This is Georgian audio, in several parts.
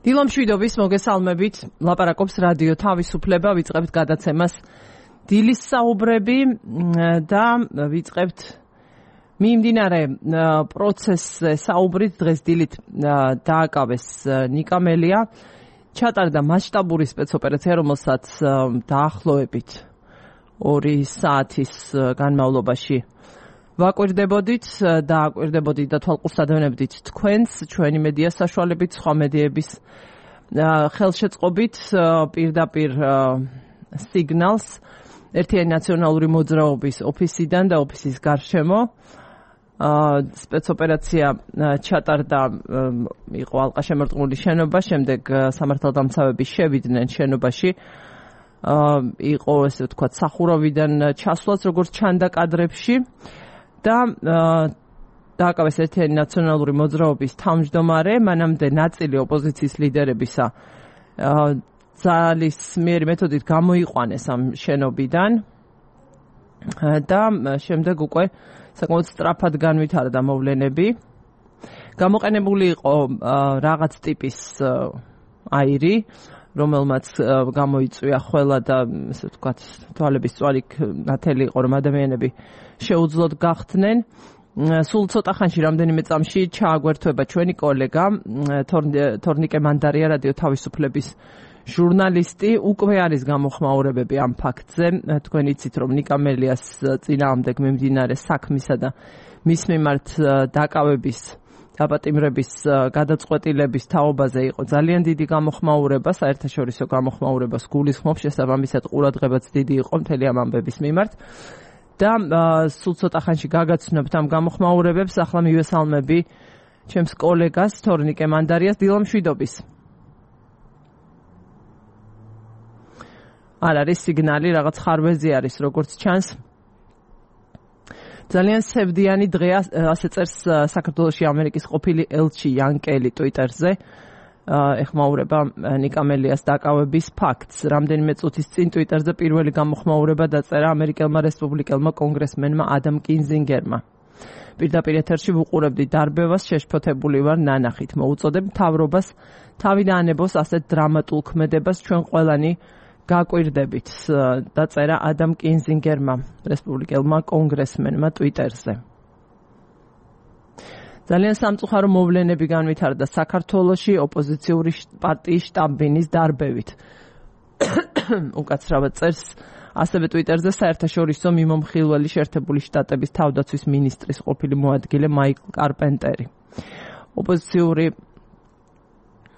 დილომშვიდობის მოგესალმებით, ლაპარაკობს რადიო თავისუფლება, ვიწყებთ გადაცემას დილის საუბრები და ვიწყებთ მიმდინარე პროცესზე საუბრით. დღეს დილით დააკავეს ნიკამელია, ჩატარდა მასშტაბური სპეცოპერაცია, რომელსაც დაახლოებით 2 საათის განმავლობაში ვაკვირდებოდით და აკვირდებოდით და თვალყურს ადევნებდით თქვენს, ჩვენი მედია საშუალებით, სხვა მედიების ხელშეწყობით პირდაპირ სიგნალს ერთიანი ნაციონალური მოძრაობის ოფისიდან და ოფისის გარშემო. სპეცოპერაცია ჩატარდა, იყო ალყაშემორტყმული შენობა, შემდეგ სამართალდამცავები შევიდნენ შენობაში. იყო ესე ვთქვათ სახურავიდან ჩასვლაც, როგორც ჩანდა კადრებში. და დააკავეს ერთიანი ნაციონალური მოძრაობის თავმჯდომარე, მანამდე ნაწილი ოპოზიციის ლიდერებისა ძალისმიერი მეთოდით გამოიყვანეს ამ შენობიდან და შემდეგ უკვე საკმაოდ სწრაფად განვითარდა მოვლენები. გამოყენებული იყო რაღაც ტიპის აირი, რომელმაც გამოიწვია ხველა და ესე ვთქვათ თვალების წვარი ნათელი იყო, რომ ადამიანები შეუძლოდ გახდნენ. სულ ცოტა ხანში, რამდენიმე წამში ჩააგვერთვება ჩვენი კოლეგა თორნიკე მანდარია, რადიო თავისუფლების ჟურნალისტი. უკვე არის გამოხმაურებები ამ ფაქტზე. თქვენ იცით, რომ ნიკამელიას წინააღმდეგ მიმდინარე საქმისა და მის მიმართ დაკავების დაპატიმრების გადაწყვეტილების თაობაზე იყო ძალიან დიდი გამოხმაურება, საერთაშორისო გამოხმაურებას გულისხმობს, შესაბამისად ყურადღებაც დიდი იყო მთელი ამ ამბების მიმართ. და სულ ცოტა ხანში გაგაცნობთ ამ გამოხმაურებებს. ახლა მივესალმები ჩემს კოლეგას თორნიკე მანდარიას. დილომშვიდობის. არ არის სიგნალი, რაღაც ხარვეზი არის, როგორც ჩანს. ძალიან სევდიანი დღეა, ასე წერს საქართველოში ამერიკის ყოფილი ელჩი იან კელი ტვიტერზე. ეხმაურება ნიკამელიას დაკავების ფაქტს. რამდენიმე წუთის წინ ტვიტერზე პირველი გამოხმაურება დაწერა ამერიკელმა რესპუბლიკელმა კონგრესმენმა ადამ კინზინგერმა. პირდაპირ ეთერში ვუყურებდი დარბევას, შეშფოთებული ვარ ნანახით. მოუწოდებ მთავრობას თავი დაანებოს ასეთ დრამატულ ქმედებას, ჩვენ ყველანი გაკვირდებით, დაწერა ადამ კინზინგერმა, რესპუბლიკელმა კონგრესმენმა ტვიტერზე. ძალიან სამწუხარო მოვლენები განვითარდა საქართველოში ოპოზიციური პარტიის შტაბ-ბინის დარბევით. უკაცრავად წერს ასევე ტვიტერზე საერთაშორისო მიმომხილველი შეერთებული შტატების თავდაცვის მინისტრის ყოფილი მოადგილე მაიკლ კარპენტერი. ოპოზიციური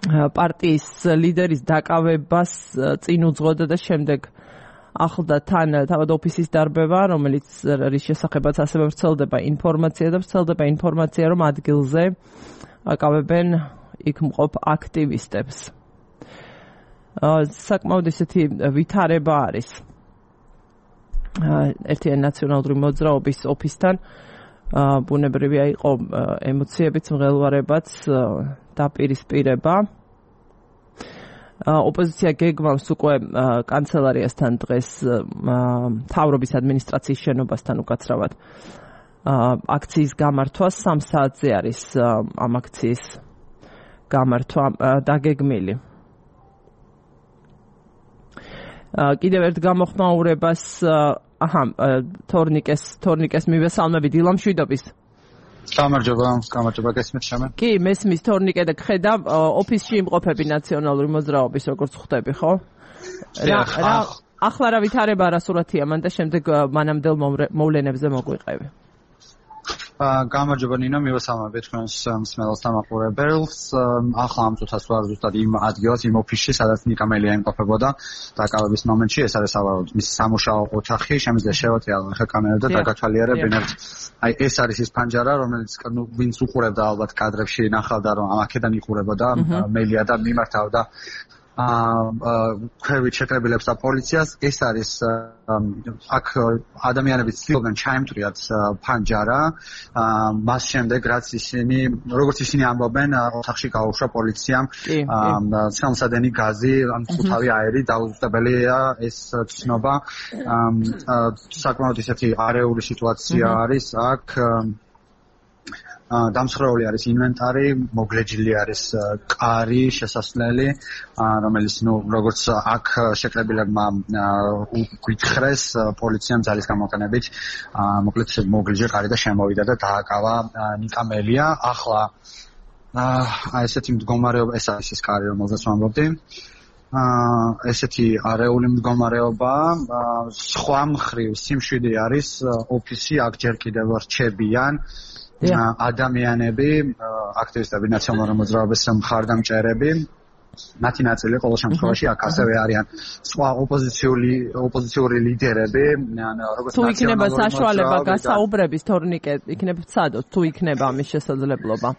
პარტიის ლიდერის დაკავებას წინ უძღოდა და შემდეგ ახლდა თან თავად ოფისის დარბევა, რომელიც რის შესახებაც ასევე ვრცელდება ინფორმაცია, რომ ადგილზე აკავებენ იქ მყოფ აქტივისტებს. საკმაოდ ისეთი ვითარება არის ერთიანი ნაციონალური მოძრაობის ოფისთან. ბუნებრივია იყო ემოციებიც, მღელვარებაც, დაპირისპირება. ოპოზიცია გეგმავს უკვე კანცელარიასთან დღეს მთავრობის ადმინისტრაციის შენობასთან უკაცრავად აქციის გამართვა. 3 საათზე არის ამ აქციის გამართვა დაგეგმილი. კიდევ ერთ გამოხმაურებას თორნიკეს მივესალმები. დილომშვიდობის. გამარჯობა, გესმით შემე? კი, მესმის თორნიკე და გხედა ოფისში იმყოფები ნაციონალური მოძრაობის, როგორც ხვდები, ხო? ახლა რა ვითარება არასურათია მან და შემდეგ მანამდელ მოვლენებზე მოგვიყევი. გამარჯობა ნინო, მივესალმები თქვენს მსმენელს და მაყურებელს. ახლა ამ წუთას ვარ ზუსტად იმ ადგილას, იმ ოფისში, სადაც ნიკამელია იმყოფებოდა დაკავების მომენტში. ეს არის ავაროდ მის სამუშაო ოთახი. შემიძლია შევატრიალო ახლა კამერა და დაგათვალიერებ. აი ეს არის ის პანჯარა, რომელიც ვინც უყურებდა ალბათ კადრებში ნახავდა, რომ აქედან იყურებოდა მელია და მიმართავდა ქვევით შეკრებილებს და პოლიციას. ეს არის აქ ადამიანები ცდილობდნენ ჩაემტვრიათ პანჯარა. მას შემდეგ როგორც ისინი ამბობენ, ოთახში გაუშვა პოლიციამ ცელმსადენი გაზი, მწუთავი აირი, დაუზუსტებელია ეს ცნობა. საკმაოდ ისეთი არეული სიტუაცია არის აქ. დამსხვრეული არის ინვენტარი, მოგლეჯილი არის კარი, შესასვლელი, რომელიც როგორც აქ შეკრებილებმა გითხრეს პოლიციამ ძალის გამოყენებით, მოკლედ მოგლეჯი კარი და შემოვიდა და დააკავა ნიკა მელია. ახლა ესეთი მდგომარეობა, ეს არის ის კარი, რომელზეც ვამბობდი. ესეთი არეული მდგომარეობა, სხვა მხრივ სიმშვიდე არის ოფისი, აქ ჯერ კიდევ რჩებიან ადამიანები, აქტივისტები, ნაციონალურ მოძრაობის მხარდამჭერები. მათი ნაწილი ყოველ შემთხვევაში აქ ასევე არიან სხვა ოპოზიციური ლიდერები, როგორც თუ იქნება საშუალება გასაუბრების თორნიკე, იქნება ცადოთ, თუ იქნება ამის შესაძლებლობა.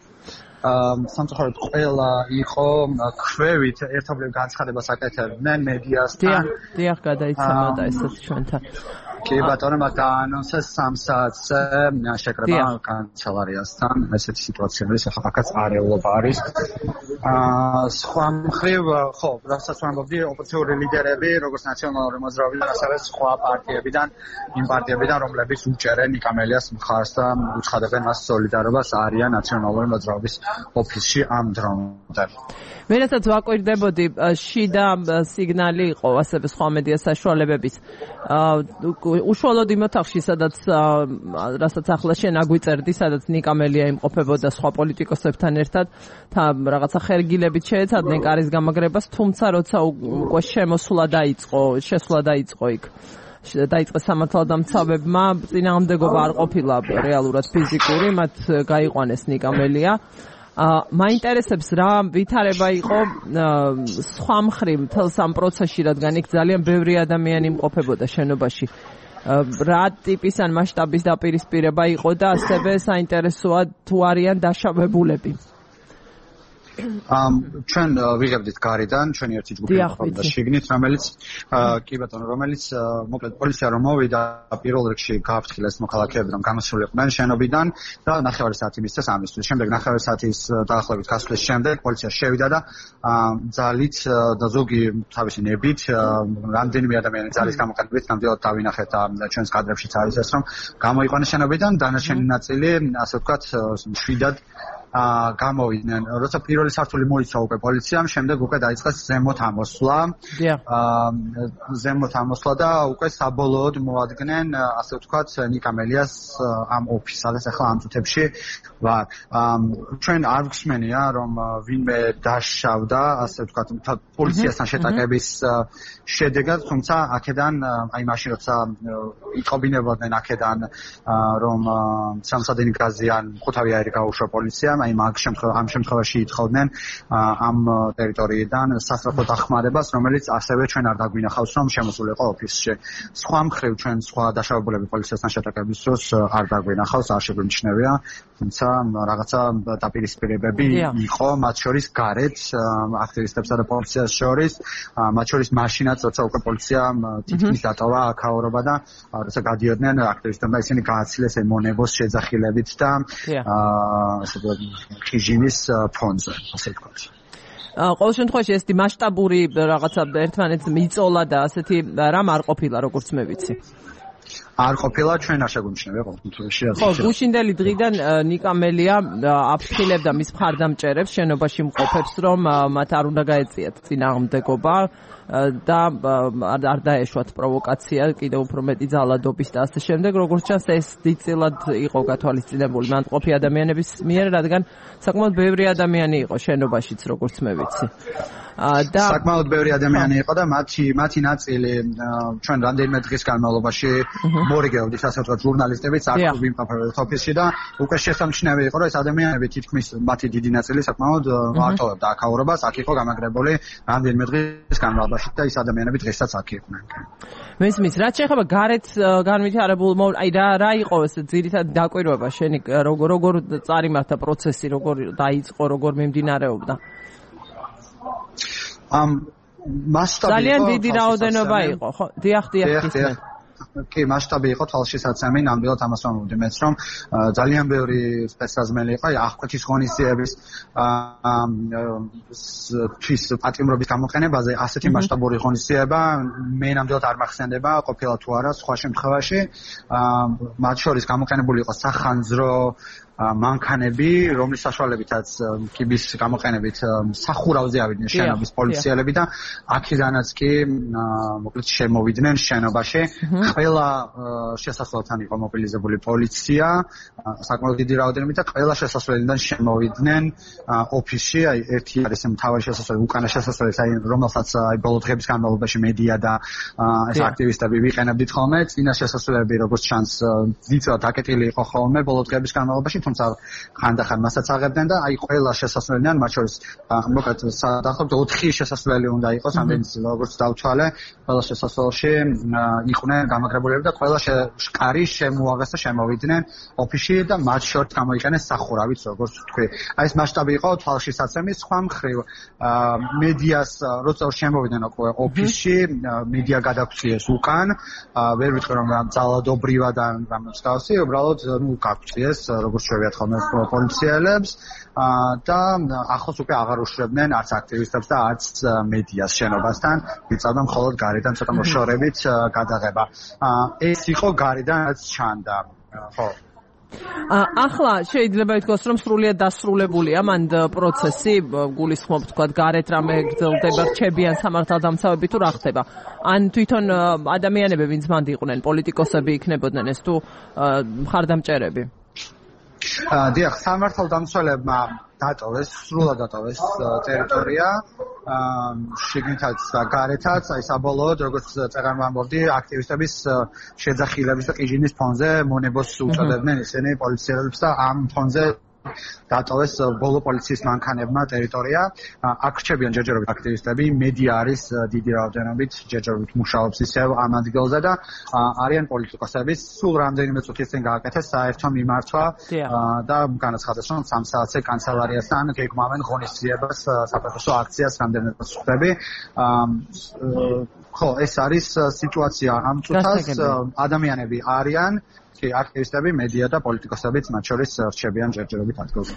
სამწუხაროდ ყველა იყო ქვევით ერთობლივ განცხადებას აკეთებდნენ მედიასთან. დიახ, გადაიცემოდა ესეც ჩვენთან. კი ბატონო, მათ დაანონსეს 3 საათზე შეკრება კანცელარიასთან. ესეთი სიტუაცია არის, ახლა აქაც არეულობა არის. სხვა მხრივ, ხო, რასაც ვამბობდი, ოპოზიციური ლიდერები, როგორც ნაციონალური მოძრაობიდან, ასევე სხვა პარტიებიდან, იმ პარტიებიდან, რომლებიც უჭერენ ნიკა მელიას მხარს და უცხადებენ მას სოლიდარობას, არიან ნაციონალური მოძრაობის ოფისში ამ დრომდე. მე რასაც ვაკვირდებოდი, შიდა სიგნალი იყო ასევე სხვა მედია საშუალებების. უშუალოდ იმ ოთახში, სადაც რასაც ახლა შენ აგვიწერდი, სადაც ნიკა მელია იმყოფებოდა სხვა პოლიტიკოსებთან ერთად, რაღაცა ხერგილებით შეეცადნენ კარის გამაგრებას, თუმცა როცა უკვე შესვლა დაიწყო იქ. დაიწყეს სამართალდამცავებმა, წინააღმდეგობა არ ყოფილა რეალურად ფიზიკური, მათ გაიყვანეს ნიკა მელია. მაინტერესებს რა ვითარება იყო სხვა მხრივ მთელს ამ პროცესში, რადგან იქ ძალიან ბევრი ადამიანი იმყოფებოდა შენობაში. რა ტიპის ან მასშტაბის დაპირისპირება იყო და ასევე საინტერესოა თუ არიან დაშავებულები. ჩვენ ვიღებდით გარიდან, ჩვენი ერთი ჯგუფი იყო შიგნით, რომელიც კი ბატონო, რომელიც მოკლედ პოლიცია რომ მოვიდა, პირველ რიგში გააფრთხილეს მოქალაქეები, რომ გამოსულიყვნენ შენობიდან და 9 საათი მისცეს ამისთვის. შემდეგ 9 საათის დაახლოებით გასვლის შემდეგ პოლიცია შევიდა და ძალით და ზოგი თავისი ნებით, რამდენიმე ადამიანი ძალის გამოყენებით ნამდვილად დავინახეთ და ჩვენს კადრებშიც არის ეს, რომ გამოიყვანეს შენობიდან, დანარჩენი ნაწილი, ასე ვთქვათ, შვიდად გამოვიდნენ. როცა პირველი სართული მოიცვა უკვე პოლიციამ, შემდეგ უკვე დაიწყეს ზემოთ ამოსვლა და უკვე საბოლოოდ მოადგნენ, ასე ვთქვათ, ნიკა მელიას ამ ოფისს, სადაც ახლა ამ წუთებში ვარ. ჩვენ არ გვსმენია, რომ ვინმე დაშავდა, ასე ვთქვათ, პოლიციასთან შეტაკების შედეგად, თუმცა აქედან, აი მაშინ როცა იყობინებოდნენ აქედან, რომ სამსადენი გაზიან ხუთავი აირი გაუშვა პოლიციამ, აი ამ შემთხვევაში ითხოვდნენ ამ ტერიტორიიდან სასწრაფო დახმარებას, რომელიც ასევე ჩვენ არ დაგვინახავს, რომ შემოსულიყო ოფისში. სხვა მხრივ ჩვენ სხვა დაშავებულები პოლიციასთან შეტაკების დროს არ დაგვინახავს, არ შეგვიმჩნევია, თუმცა რაღაცა დაპირისპირებები იყო, მათ შორის გარეთ აქტივისტებსა და პოლიციას შორის, მათ შორის მაშინაც, როცა უკვე პოლიციამ თითქმის დატოვა აქაურობა და როცა გადიოდნენ აქტივისტებმა, ისინი გააცილეს ემონებოს შეძახილებით და ხიჟინის ფონზე, ასე ვთქვათ. ყოველ შემთხვევაში ესეთი მასშტაბური რაღაცა ერთმანეთს მიწოლა და ასეთი რამ არ ყოფილა, როგორც მე ვიცი. არ ყოფილა, ჩვენ არ შეგვიმჩნევია ყოველთვის. ხო, გუშინდელი დღიდან ნიკა მელია აფრთხილებდა მის მხარდამჭერებს, შენობაში მყოფებს, რომ მათ არ უნდა გაეწიათ წინააღმდეგობა და არ დაეშვათ პროვოკაცია, კიდევ უფრო მეტი ძალადობის და ასე შემდეგ. როგორც ჩანს, ეს დიდწილად იყო გათვალისწინებული მანტყოფი ადამიანების მიერ, რადგან საკმაოდ ბევრი ადამიანი იყო შენობაშიც, როგორც მე ვიცი. საკმაოდ ბევრი ადამიანი იყო და მათი ნაწილი ჩვენ რამდენიმე დღის განმავლობაში მორიგეოდით, ასე ვთქვათ, ჟურნალისტებიც აქ ვიმყოფებოდით ოფისში და უკვე შესამჩნევი იყო, რომ ეს ადამიანები თითქმის მათი დიდი ნაწილი საკმაოდ მარტოვებდა აქაურობას, აქ იყო გამაგრებული რამდენიმე დღის განმავლობაში და ის ადამიანები დღესაც აქ იყვნენ. მესმის, რაც შეეხება გარეთ განვითარებულ, აი რა იყო ეს ძირითადად დაკვირვება შენი, როგორ წარიმართა პროცესი, როგორ დაიწყო, როგორ მიმდინარეობდა? მასშტაბი ძალიან დიდი რაოდენობა იყო, ხო? დიახ. კი, მასშტაბი იყო თვალშისაცემი, ნამდვილად ამას ვამბობდი მეც, რომ ძალიან ბევრი სპეცსაზმელი იყო, აღკვეთის ღონისძიების თვის პატიმრობის გამოყენებაზე, ასეთი მასშტაბური ღონისძიება მე ნამდვილად არ მახსენდება, ყოფილა თუ არა სხვა შემთხვევაში. მათ შორის გამოყენებული იყო სახანძრო მანქანები, რომლის საშუალებითაც კიბის გამოყენებით სახურავზე ავიდნენ შენობის პოლიციელები და აქედანაც კი მოკლედ შემოვიდნენ შენობაში. ყველა შესასვლელთან იყო მობილიზებული პოლიცია, საკმაოდ დიდი რაოდენობით და ყველა შესასვლელიდან შემოვიდნენ ოფისში. აი ერთი არის მთავარი შესასვლელი, უკანა შესასვლელი, რომელსაც ბოლო დღების განმავლობაში მედია და ეს აქტივისტები ვიყენებდით ხოლმე. წინა შესასვლელები, როგორც ჩანს, ძირითადად აკეტილი იყო ხოლმე ბოლო დღების განმავლობაში, თუმცა ხანდახან მასაც აღებდნენ და აი ყველა შესასვლელიდან, მათ შორის მოკლედ დაახლოებით 4 შესასვლელი უნდა იყოს, ამდენიც როგორც დავთვალე, ყველა შესასვლელში იყვნენ გამაგრებულები და ყველა შკარი შემოაღეს და შემოვიდნენ ოფისში და მათ შორის გამოიყენეს სახურავიც, როგორც ვთქვი. აი ეს მასშტაბი იყო თვალშისაცემი. სხვა მხრივ მედიას როცა შემოვიდნენ ოფისში, მედია გადაგვწიეს უკან, ვერ ვიტყვი რომ ძალადობრივად ან რამ მსგავსი, უბრალოდ გაგვწიეს, როგორც შევიათ ხოლმე პოლიციელებს და ახლოს უკვე აღარ უშრებდნენ არც აქტივისტებს და არც მედიას შენობასთან. იწავდა მხოლოდ გარედან ცოტა მოშორებით გადაღება. ეს იყო გარედან რაც ჩანდა. ხო. ახლა შეიძლება ითქვას, რომ სრულიად დასრულებულია მან პროცესი, გულისხმობ თქვა გარეთ რამე გრძელდება, რჩებიან სამართალდამცავები თუ რა ხდება? ან თვითონ ადამიანები, ვინც მანდ იყვნენ, პოლიტიკოსები იქნებოდნენ ეს თუ მხარდამჭერები? დიახ, სამართალდამცველებმა დატოვეს, სრულად დატოვეს ტერიტორია, შიგნითაც და გარეთაც, აი საბოლოოდ, როგორც წერან ვამბობდი, აქტივისტების შეძახილების და ყიჟინის ფონზე მონებოს უწოდებდნენ ისინი პოლიციელებს და ამ ფონზე დატოვეს ბოლო პოლიციის მანქანებმა ტერიტორია. აქ რჩებიან ჯერჯერობით აქტივისტები, მედია არის დიდი რაოდენობით, ჯერჯერობით მუშაობს ისევ ამ ადგილზე და არიან პოლიტიკოსები. სულ რამდენიმე წუთის წინ გააკეთეს საერთო მიმართვა და განაცხადეს, რომ 3 საათზე კანცელარიასთან გეგმავენ ღონისძიებას, საპროტესტო აქციას, რამდენიმე წუთები. ხო, ეს არის სიტუაცია ამ წუთას. ადამიანები არიან აქტივისტები, მედია და პოლიტიკოსებიც მათ შორის რჩებიან ჯერჯერობით ადგილზე.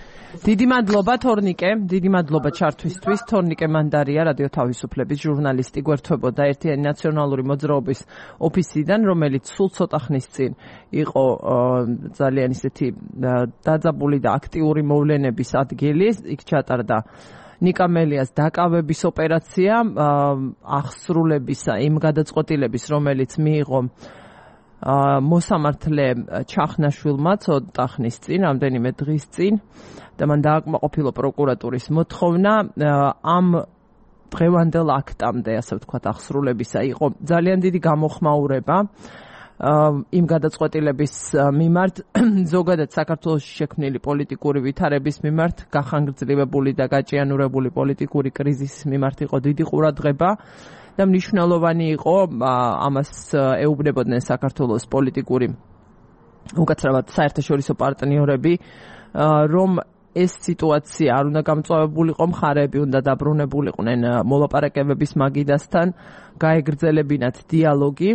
დიდი მადლობა თორნიკე, დიდი მადლობა ჩართვისთვის. თორნიკე მანდარია, რადიო თავისუფლების ჟურნალისტი, გვერდთვებოდა ერთიანი ნაციონალური მოძრაობის ოფისიდან, რომელიც სულ ცოტა ხნის წინ იყო ძალიან ისეთი დაძაბული და აქტიური მოვლენების ადგილი. იქ ჩატარდა ნიკა მელიას დაკავების ოპერაცია, აღსრულებისა იმ გადაწყვეტილების, რომელიც მიიღო მოსამართლე ჩახნაშვილმა ცოტა ხნის წინ, რამდენიმე დღის წინ და მან დააკმაყოფილო პროკურატურის მოთხოვნა ამ დღევანდელ აქტამდე, ასე ვთქვათ, აღსრულებისა იყო ძალიან დიდი გამოხმაურება იმ გადაწყვეტილების მიმართ, ზოგადად საქართველოში შექმნილი პოლიტიკური ვითარების მიმართ, გახანგრძლივებული და გაჭიანურებული პოლიტიკური კრიზისის მიმართ იყო დიდი ყურადღება. და მნიშვნელოვანი იყო ამას ეუბნებოდნენ საქართველოს პოლიტიკური უკაცრავად საერთაშორისო პარტნიორები, რომ ეს სიტუაცია არ უნდა გამწვავებულიყო, მხარეები უნდა დაბრუნებულიყვნენ მოლაპარაკებების მაგიდასთან, გაეგრძელებინათ დიალოგი.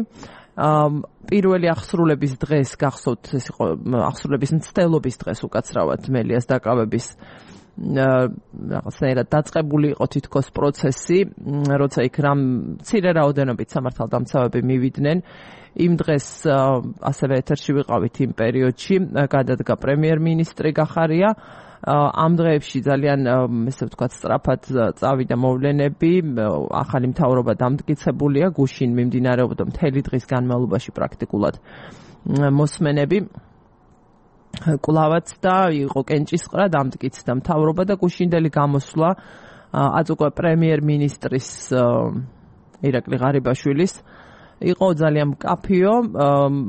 პირველი აღსრულების დღეს გახსოვთ, ეს იყო აღსრულების მცდელობის დღეს უკაცრავად მელიას დაკავების რაღაცნაირად დაწყებული იყო თითქოს პროცესი, როცა იქ რამ მცირე რაოდენობით სამართალდამცავები მივიდნენ. იმ დღეს ასევე ეთერში ვიყავით იმ პერიოდში, გადადგა პრემიერ-მინისტრი გახარია. ამ დღეებში ძალიან, ესე ვთქვათ, სწრაფად წავიდა მოვლენები, ახალი მთავრობა დამტკიცებულია, გუშინ მიმდინარეობდა მთელი დღის განმავლობაში პრაქტიკულად მოსმენები. კვლავაც და იყო კენჭისყრა, დამტკიცდა მთავრობა და გუშინდელი გამოსვლა აწ უკვე პრემიერ-მინისტრის ირაკლი ღარიბაშვილის იყო ძალიან მკაფიო,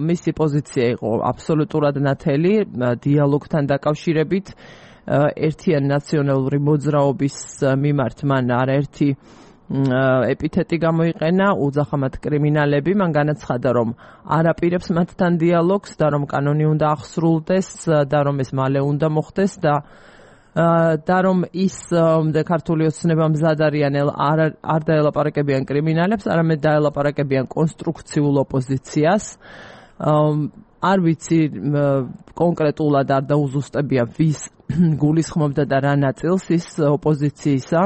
მისი პოზიცია იყო აბსოლუტურად ნათელი დიალოგთან დაკავშირებით, ერთიანი ნაციონალური მოძრაობის მიმართ მან არაერთი ეპითეტი გამოიყენა, უძახამად კრიმინალები, მან განაცხადა, რომ არ აპირებს მათთან დიალოგს და რომ კანონი უნდა აღსრულდეს და რომ ეს მალე უნდა მოხდეს და რომ ის ქართული ოცნება მზად არიან არ დაელაპარაკებიან კრიმინალებს, არამედ დაელაპარაკებიან კონსტრუქციულ ოპოზიციას. არ ვიცი კონკრეტულად არ დაუზუსტებია ვის გულისხმობდა და რა ნაწილს ის ოპოზიციისა,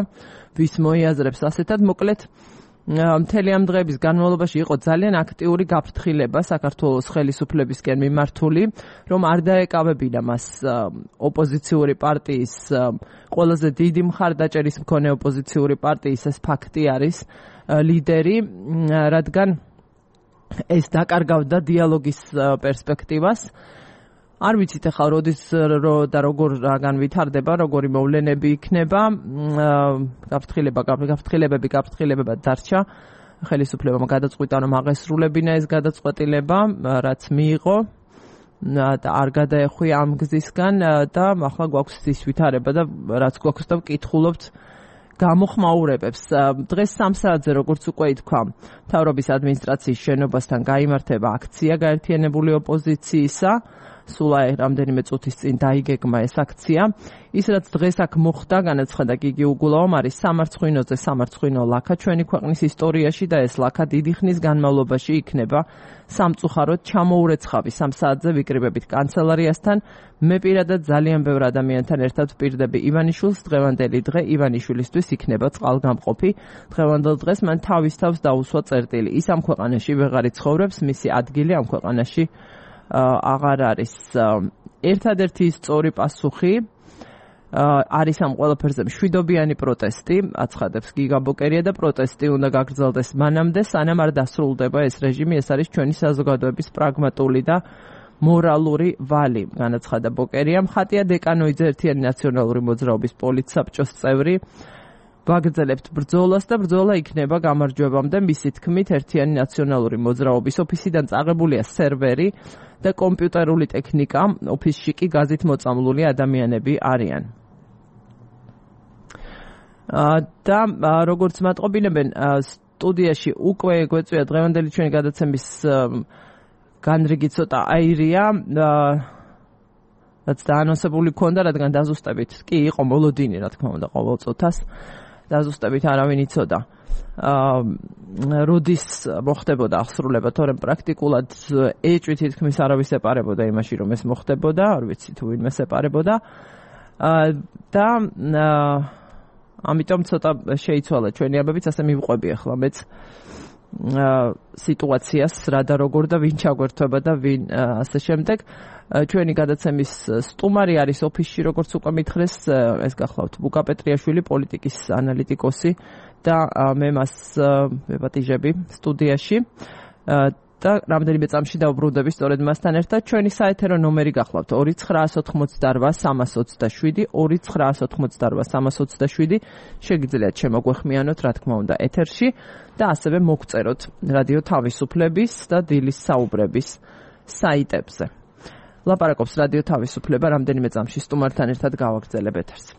ვის მოიაზრებს ასეთად. მოკლედ მთელი ამ დღეების განმავლობაში იყო ძალიან აქტიური გაფრთხილება საქართველოს ხელისუფლებისკენ მიმართული, რომ არ დაეკავებინა მას ოპოზიციური პარტიის ყველაზე დიდი მხარდაჭერის მქონე ოპოზიციური პარტიის ეს ფაქტი არის ლიდერი, რადგან ეს დაკარგავდა დიალოგის პერსპექტივას. არ ვიცით ახლა როდის და როგორ ვითარდება, როგორი მოვლენები იქნება, გაფრთხილებება დარჩა. ხელისუფლებამ გადაწყვიტა, რომ აღესრულებინა ეს გადაწყვეტილება, რაც მიიღო და არ გადაეხვია ამ გზისგან და ახლა გვაქვს ის ვითარება და რაც გვაქვს და ვკითხულობთ გამოხმაურებებს. დღეს 3 საათზე, როგორც უკვე ითქვა, მთავრობის ადმინისტრაციის შენობასთან გაიმართება აქცია გაერთიანებული ოპოზიციისა. სულ რამდენიმე წუთის წინ დაიგეგმა ეს აქცია. ის რაც დღეს აქ მოხდა, განაცხადა გიგი უგულავამ, არის სამარცხვინოზე სამარცხვინო ლაქა ჩვენი ქვეყნის ისტორიაში და ეს ლაქა დიდი ხნის განმავლობაში იქნება სამწუხაროდ ჩამოურეცხავი. 3 საათზე ვიკრიბებით კანცელარიასთან. მე პირადად ძალიან ბევრ ადამიანთან ერთად ვპირდები ივანიშვილს. დღევანდელი დღე ივანიშვილისთვის იქნება წყალგამყოფი. დღევანდელ დღეს მან თავის თავს დაუსვა წერტილი. ის ამ ქვეყანაში ვეღარ იცხოვრებს, მისი ადგილი ამ ქვეყანაში აღარ არის. ერთადერთი სწორი პასუხი არის ამ ყველაფერზე მშვიდობიანი პროტესტი, აცხადებს გიგა ბოკერია და პროტესტი უნდა გაგრძელდეს მანამდე, სანამ არ დასრულდება ეს რეჟიმი. ეს არის ჩვენი საზოგადოების პრაგმატული და მორალური ვალი, განაცხადა ბოკერია. ხატია დეკანოიძე, ერთიანი ნაციონალური მოძრაობის პოლიტსაბჭოს წევრი. ვაგრძელებთ ბრძოლას და ბრძოლა იქნება გამარჯვებამდე. მისი თქმით, ერთიანი ნაციონალური მოძრაობის ოფისიდან წაღებულია სერვერი და კომპიუტერული ტექნიკა, ოფისში კი გაზით მოწამლული ადამიანები არიან. და როგორც მატყობინებენ, სტუდიაში უკვე გვეწვია დღევანდელი ჩვენი გადაცემის განრიგი ცოტა აირია, რაც დაანონსებული ქონდა, რადგან დაზუსტებით კი იყო მოლოდინი, რა თქმა უნდა, ყოველ წუთას. დაზუსტებით არავინ იცოდა. როდის მოხდებოდა აღსრულება, თორემ პრაქტიკულად ეჭვი თითქმის არავის ეპარებოდა იმაში, რომ ეს მოხდებოდა, არ ვიცი თუ ვინმე ეპარებოდა. და ამიტომ ცოტა შეიცვალა ჩვენი ამბებიც, ასე მივყვები ახლა მეც სიტუაციას, რა და როგორ და ვინ ჩაგვერთვება და ვინ ასე შემდეგ. ჩვენი გადაცემის სტუმარი არის ოფისში, როგორც უკვე მითხრეს, ეს გახლავთ ბუკა პეტრიაშვილი, პოლიტიკის ანალიტიკოსი და მე მას ვეპატიჟები სტუდიაში და რამდენიმე წამში დავბრუნდები სწორედ მასთან ერთად. ჩვენი საეთერო ნომერი გახლავთ 2988327 2988327 შეგიძლიათ შემოგვეხმიანოთ, რა თქმა უნდა, ეთერში და ასევე მოგწეროთ რადიო თავისუფლების და დილის საუბრების საიტებზე. ლაპარაკობს რადიო თავისუფლება, რამდენიმე წამში სტუმართან ერთად გავაგრძელებ ეთერს.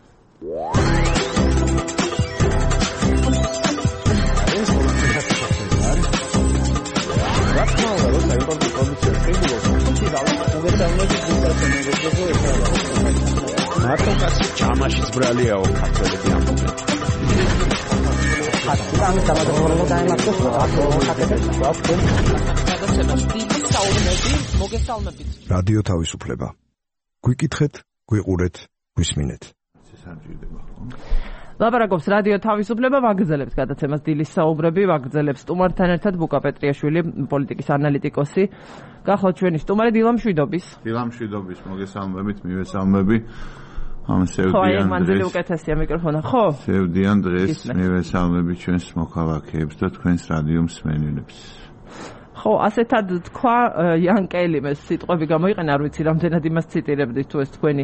მარტოკასი ჯამაშიც ბრალიაო ქართველები ამბობენ. რადიო თავისუფლება. გვიკითხეთ, გვიყურეთ, გვისმინეთ. ლაპარაკობს რადიო თავისუფლება, ვაგრძელებთ გადაცემას დილის საუბრები, ვაგრძელებს სტუმართან ერთად ბუკა პეტრიაშვილი, პოლიტიკის ანალიტიკოსი. გახლავთ ჩვენი სტუმარი დილა მშვიდობის. დილა მშვიდობის, მოგესალმებით, მივესალმები. ამ სევდიან ხო, აი მანძილი უკეთესია მიკროფონა, ხო? სევდიან დღეს მივესალმები ჩვენს მოქალაქეებს და თქვენს რადიო მსმენელებს. ხო, ასეთად თქვა იანკელი, მე სიტყვები გამოიყენა, არ ვიცი რამდენად იმას ციტირებდით, თუ ეს თქვენი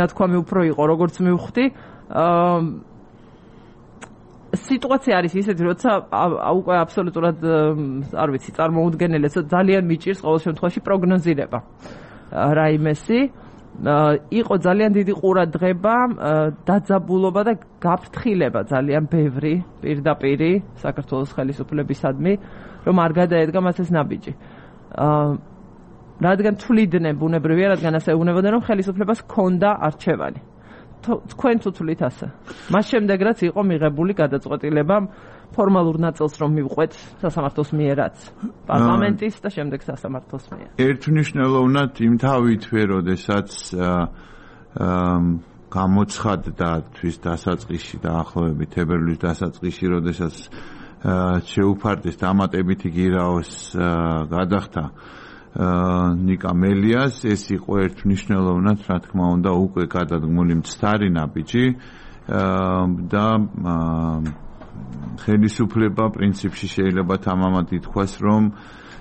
ნათქვამი უფრო იყო, როგორც მივხვდი. სიტუაცია არის ისეთი, როცა უკვე აბსოლუტურად არ ვიცი, წარმოუდგენელი, ძალიან მიჭირს ყოველ შემთხვევაში პროგნოზირება. რაიმესი იყო ძალიან დიდი ყურადღება, დაძაბულობა და გაფრთხილება ძალიან ბევრი პირდაპირი საქართველოს ხელისუფლებისადმი, რომ არ გადაედგა მას ეს ნაბიჯი. რადგან თვლიდნენ, ბუნებრივია, რადგან ასე უნებოდნენ, რომ ხელისუფლებას ჰქონდა არჩევანი. თქვენ თუ თვლით ასე. მას შემდეგ რაც იყო მიღებული გადაწყვეტილება ფორმალურ ნაწილს რომ მივყვეთ სასამართლოს მიერაც, პარლამენტის და შემდეგ სასამართლოს მიერ. ერთმნიშვნელოვნად იმ თავითვე, როდესაც გამოცხადდა თვის დასაწყისში და ახლოვებით თებერვლის დასაწყისში, როდესაც შეუფარდეს დამატებითი გირაოს გადახდა ნიკა მელიას ეს იყო ერთ მნიშვნელოვნად რა თქმა უნდა უკვე გადადგმული მცდარი ნაბიჯი და ხელისუფლება პრინციპში შეიძლება თამამად ითქვას რომ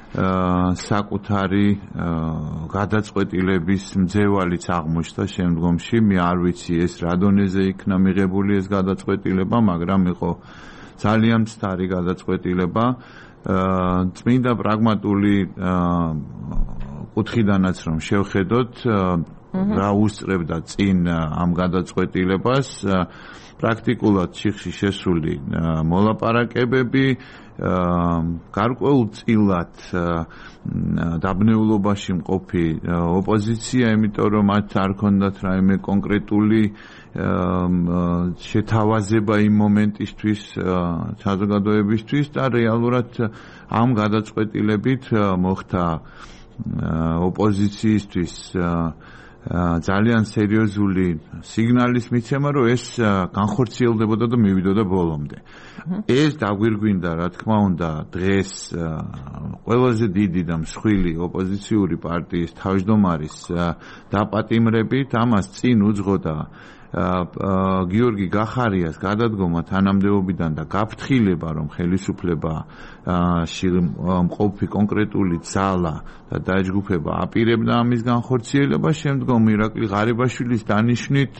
საკუთარი გადაწყვეტილების მძევალიც აღმოჩნდა შემდგომში მე არ ვიცი ეს რა დონეზე იქნა მიღებული ეს გადაწყვეტილება მაგრამ იყო ძალიან მცდარი გადაწყვეტილება წმინდა პრაგმატული კუთხიდანაც რომ შევხედოთ რა უსწრებდა წინ ამ გადაწყვეტილებას პრაქტიკულად ციხში შესული მოლაპარაკებები გარკვეულწილად დაბნეულობაში მყოფი ოპოზიცია იმიტომ რომ მათ არ ქონდათ რაიმე კონკრეტული შეთავაზება იმ მომენტისთვის საზოგადოებისთვის და რეალურად ამ გადაწყვეტილებით მოხდა ოპოზიციისთვის ძალიან სერიოზული სიგნალის მიცემა რომ ეს განხორციელდებოდა და მივიდოდა ბოლომდე ეს დაგვირგვინდა რა თქმა უნდა დღეს ყველაზე დიდი და მსხვილი ოპოზიციური პარტიის თავმჯდომარის დაპატიმრებით ამას წინ უძღოდა გიორგი გახარიას გადადგომა თანამდებობიდან და გაფრთხილება რომ ხელისუფლება მყოფი კონკრეტული ძალა და დაჯგუფება აპირებდა ამის განხორციელებას შემდგომ ირაკლი ღარიბაშვილის დანიშვნით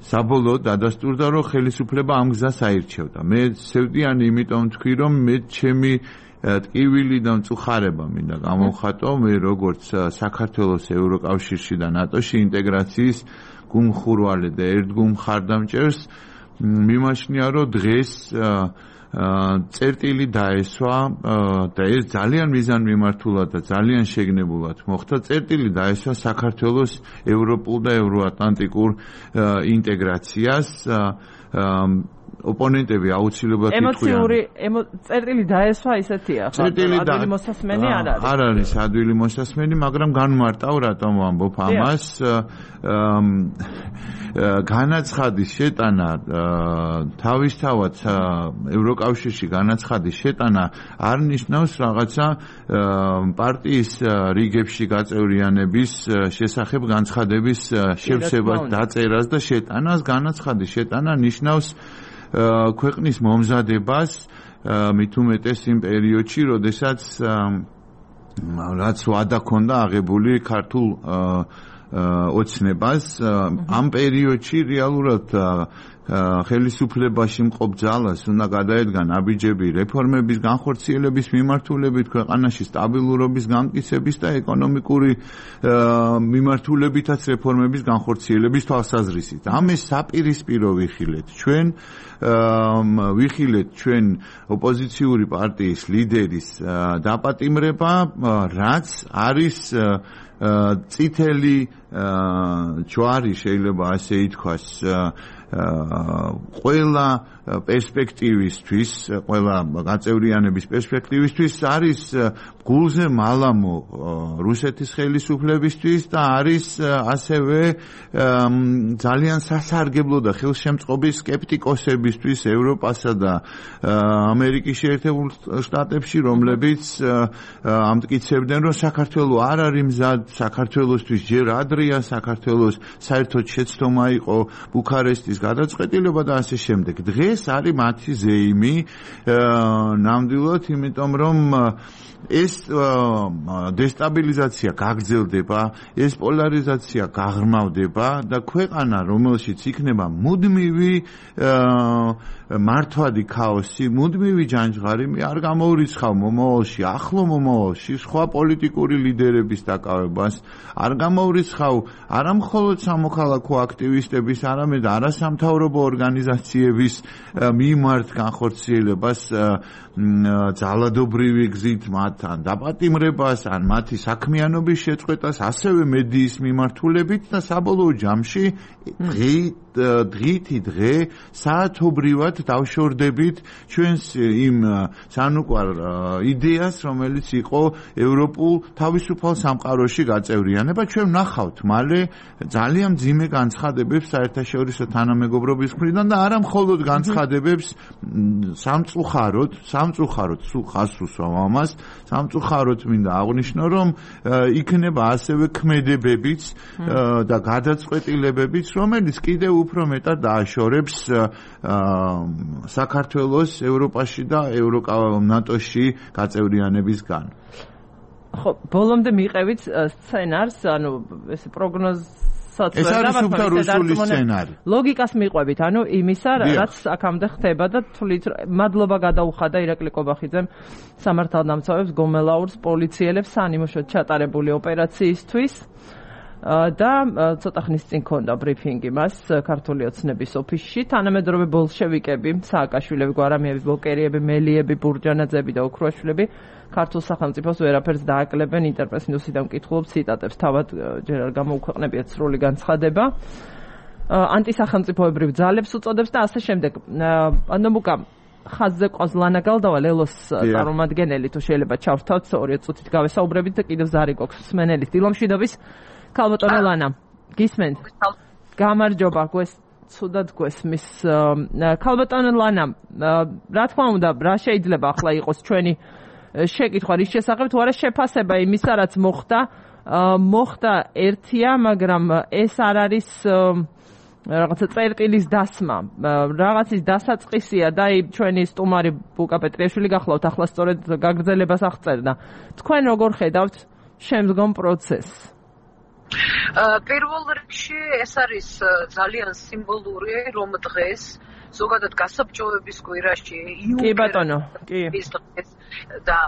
საბოლოოდ დადასტურდა რომ ხელისუფლება ამ გზას აირჩევდა მე სევდიანი იმიტომ თქვი რომ მე ჩემი ტკივილი და მწუხარება მინდა გამოვხატო მე როგორც საქართველოს ევროკავშირში და ნატოში ინტეგრაციის გუმხურვალე და ერთგულ მხარდამჭერს მიმაჩნია რომ დღეს წერტილი დაესვა და ეს ძალიან მიზანმიმართულად და ძალიან შეგნებულად მოხდა წერტილი დაესვა საქართველოს ევროპულ და ევროატლანტიკურ ინტეგრაციას ოპონენტები აუცილებლად ემოციური წერტილი დაესვა ისეთია ხო ადვილი მოსასმენი არ არის არ არის ადვილი მოსასმენი მაგრამ განმარტავ რატომ ვამბობ ამას განაცხადის შეტანა თავისთავად ევროკავშირში განაცხადის შეტანა არ ნიშნავს რაღაცა პარტიის რიგებში გაწევრიანების შესახებ განცხადების შევსებას დაწერას და შეტანას განაცხადის შეტანა ნიშნავს ქვეყნის მომზადებას მით უმეტეს იმ პერიოდში, როდესაც რაც ვადა ქონდა აღებული ქართულ ოცნებას ამ პერიოდში რეალურად ხელისუფლებაში მყოფ ძალას უნდა გადაედგა ნაბიჯები რეფორმების განხორციელების მიმართულებით ქვეყანაში სტაბილურობის გამტკიცების და ეკონომიკური მიმართულებითაც რეფორმების განხორციელების თვალსაზრისით. ამის საპირისპირო ვიხილეთ ჩვენ ოპოზიციური პარტიის ლიდერის დაპატიმრება, რაც არის წითელი ჯვარი შეიძლება ასე ითქვას ყველა პერსპექტივისთვის, ყველა გაწევრიანების პერსპექტივისთვის არის გულზე მალამო რუსეთის ხელისუფლებისთვის და არის ასევე ძალიან სასარგებლო და ხელშემწყობი სკეპტიკოსებისთვის ევროპასა და ამერიკის შეერთებულ შტატებში, რომლებიც ამტკიცებდნენ, რომ საქართველო არ არის მზად საქართველოსთვის ჯერ ადრეა, საქართველოს საერთოდ შეცდომა იყო ბუქარესტის გადაწყვეტილება და ასე შემდეგ. დღეს არის მათი ზეიმი ნამდვილად, იმიტომ რომ ეს დესტაბილიზაცია გაგრძელდება, ეს პოლარიზაცია გაღრმავდება და ქვეყანა, რომელშიც იქნება მუდმივი მართვადი ქაოსი, მუდმივი ჯანჯღარი, არ გამოურიცხავ მომავალში, ახლო მომავალში სხვა პოლიტიკური ლიდერების დაკავებას, არ გამოურიცხავ არა მხოლოდ სამოქალაქო აქტივისტების, არამედ არასამთავრობო ორგანიზაციების მიმართ განხორციელებას ძალადობრივი გზით მათთან დაპატიმრებას, ან მათი საქმიანობის შეწყვეტას, ასევე მედიის მიმართულებით და საბოლოო ჯამში დღითი დღე საათობრივად დავშორდებით ჩვენს იმ სანუკვარ იდეას, რომელიც იყო ევროპულ თავისუფალ სამყაროში გაწევრიანება. ჩვენ ვნახავთ მალე ძალიან მძიმე განცხადებებს საერთაშორისო თანამეგობრობის მხრიდან და არა მხოლოდ განცხადებებს სამწუხაროდ სულ ხას უსვამ ამას, სამწუხაროდ მინდა აღვნიშნო, რომ იქნება ასევე ქმედებებიც და გადაწყვეტილებებიც, რომელიც კიდევ უფრო მეტად დააშორებს საქართველოს ევროპაში და ნატოში გაწევრიანებისგან. ხო, ბოლომდე მიყევით სცენარს, ანუ ეს პროგნოზსაც ეს არის უფრო რუსული სცენარი. ლოგიკას მიყვებით, ანუ იმისა, რაც აქამდე ხდება და თვლით მადლობა გადაუხადა ირაკლი კობახიძემ სამართალდამცავებს, გომელაურს, პოლიციელებს სანიმუშოდ ჩატარებული ოპერაციისთვის. და ცოტა ხნის წინ ქონდა ბრიფინგი მას ქართული ოცნების ოფისში. თანამედროვე ბოლშევიკები, სააკაშვილები, გვარამიები, ბოკერიები, მელიები, ბურჯანაძეები და ოქროაშვილები ქართულ სახელმწიფოს ვერაფერს დააკლებენ. ინტერპრეს ნიუსიდან მკითხულობ ციტატებს, თავად ჯერ არ გამოუქვეყნებიათ სრული განცხადება. ანტისახელმწიფოებრივ ძალებს უწოდებს და ასე შემდეგ. ანომუკა ხაზზე ყავს ლანა გალდავა, ლელოს წარმომადგენელი, თუ შეიძლება ჩავრთავთ 2 წუთით გავესაუბრებით და კიდევ ზარი გვაქვს მსმენელის დილომშვიდობის. ქალბატონო ლანა, გისმენთ? გამარჯობა, ცუდად გვესმის. ქალბატონო ლანა, რა თქმა უნდა, რა შეიძლება ახლა იყოს ჩვენი შეკითხვა რის შესახებ, თუ არა შეფასება იმისა, რაც მოხდა ერთია, მაგრამ ეს არ არის რაღაცა წერტილის დასმა, რაღაცის დასაწყისია და ჩვენი სტუმარი ბუკა პეტრიაშვილი გახლავთ, ახლა სწორედ გაგრძელებას აღწერდა. თქვენ როგორ ხედავთ შემდგომ პროცესს? პირველ რიგში ეს არის ძალიან სიმბოლური, რომ დღეს ზოგადად გასაბჭოების კვირაში კი ბატონო, კი. და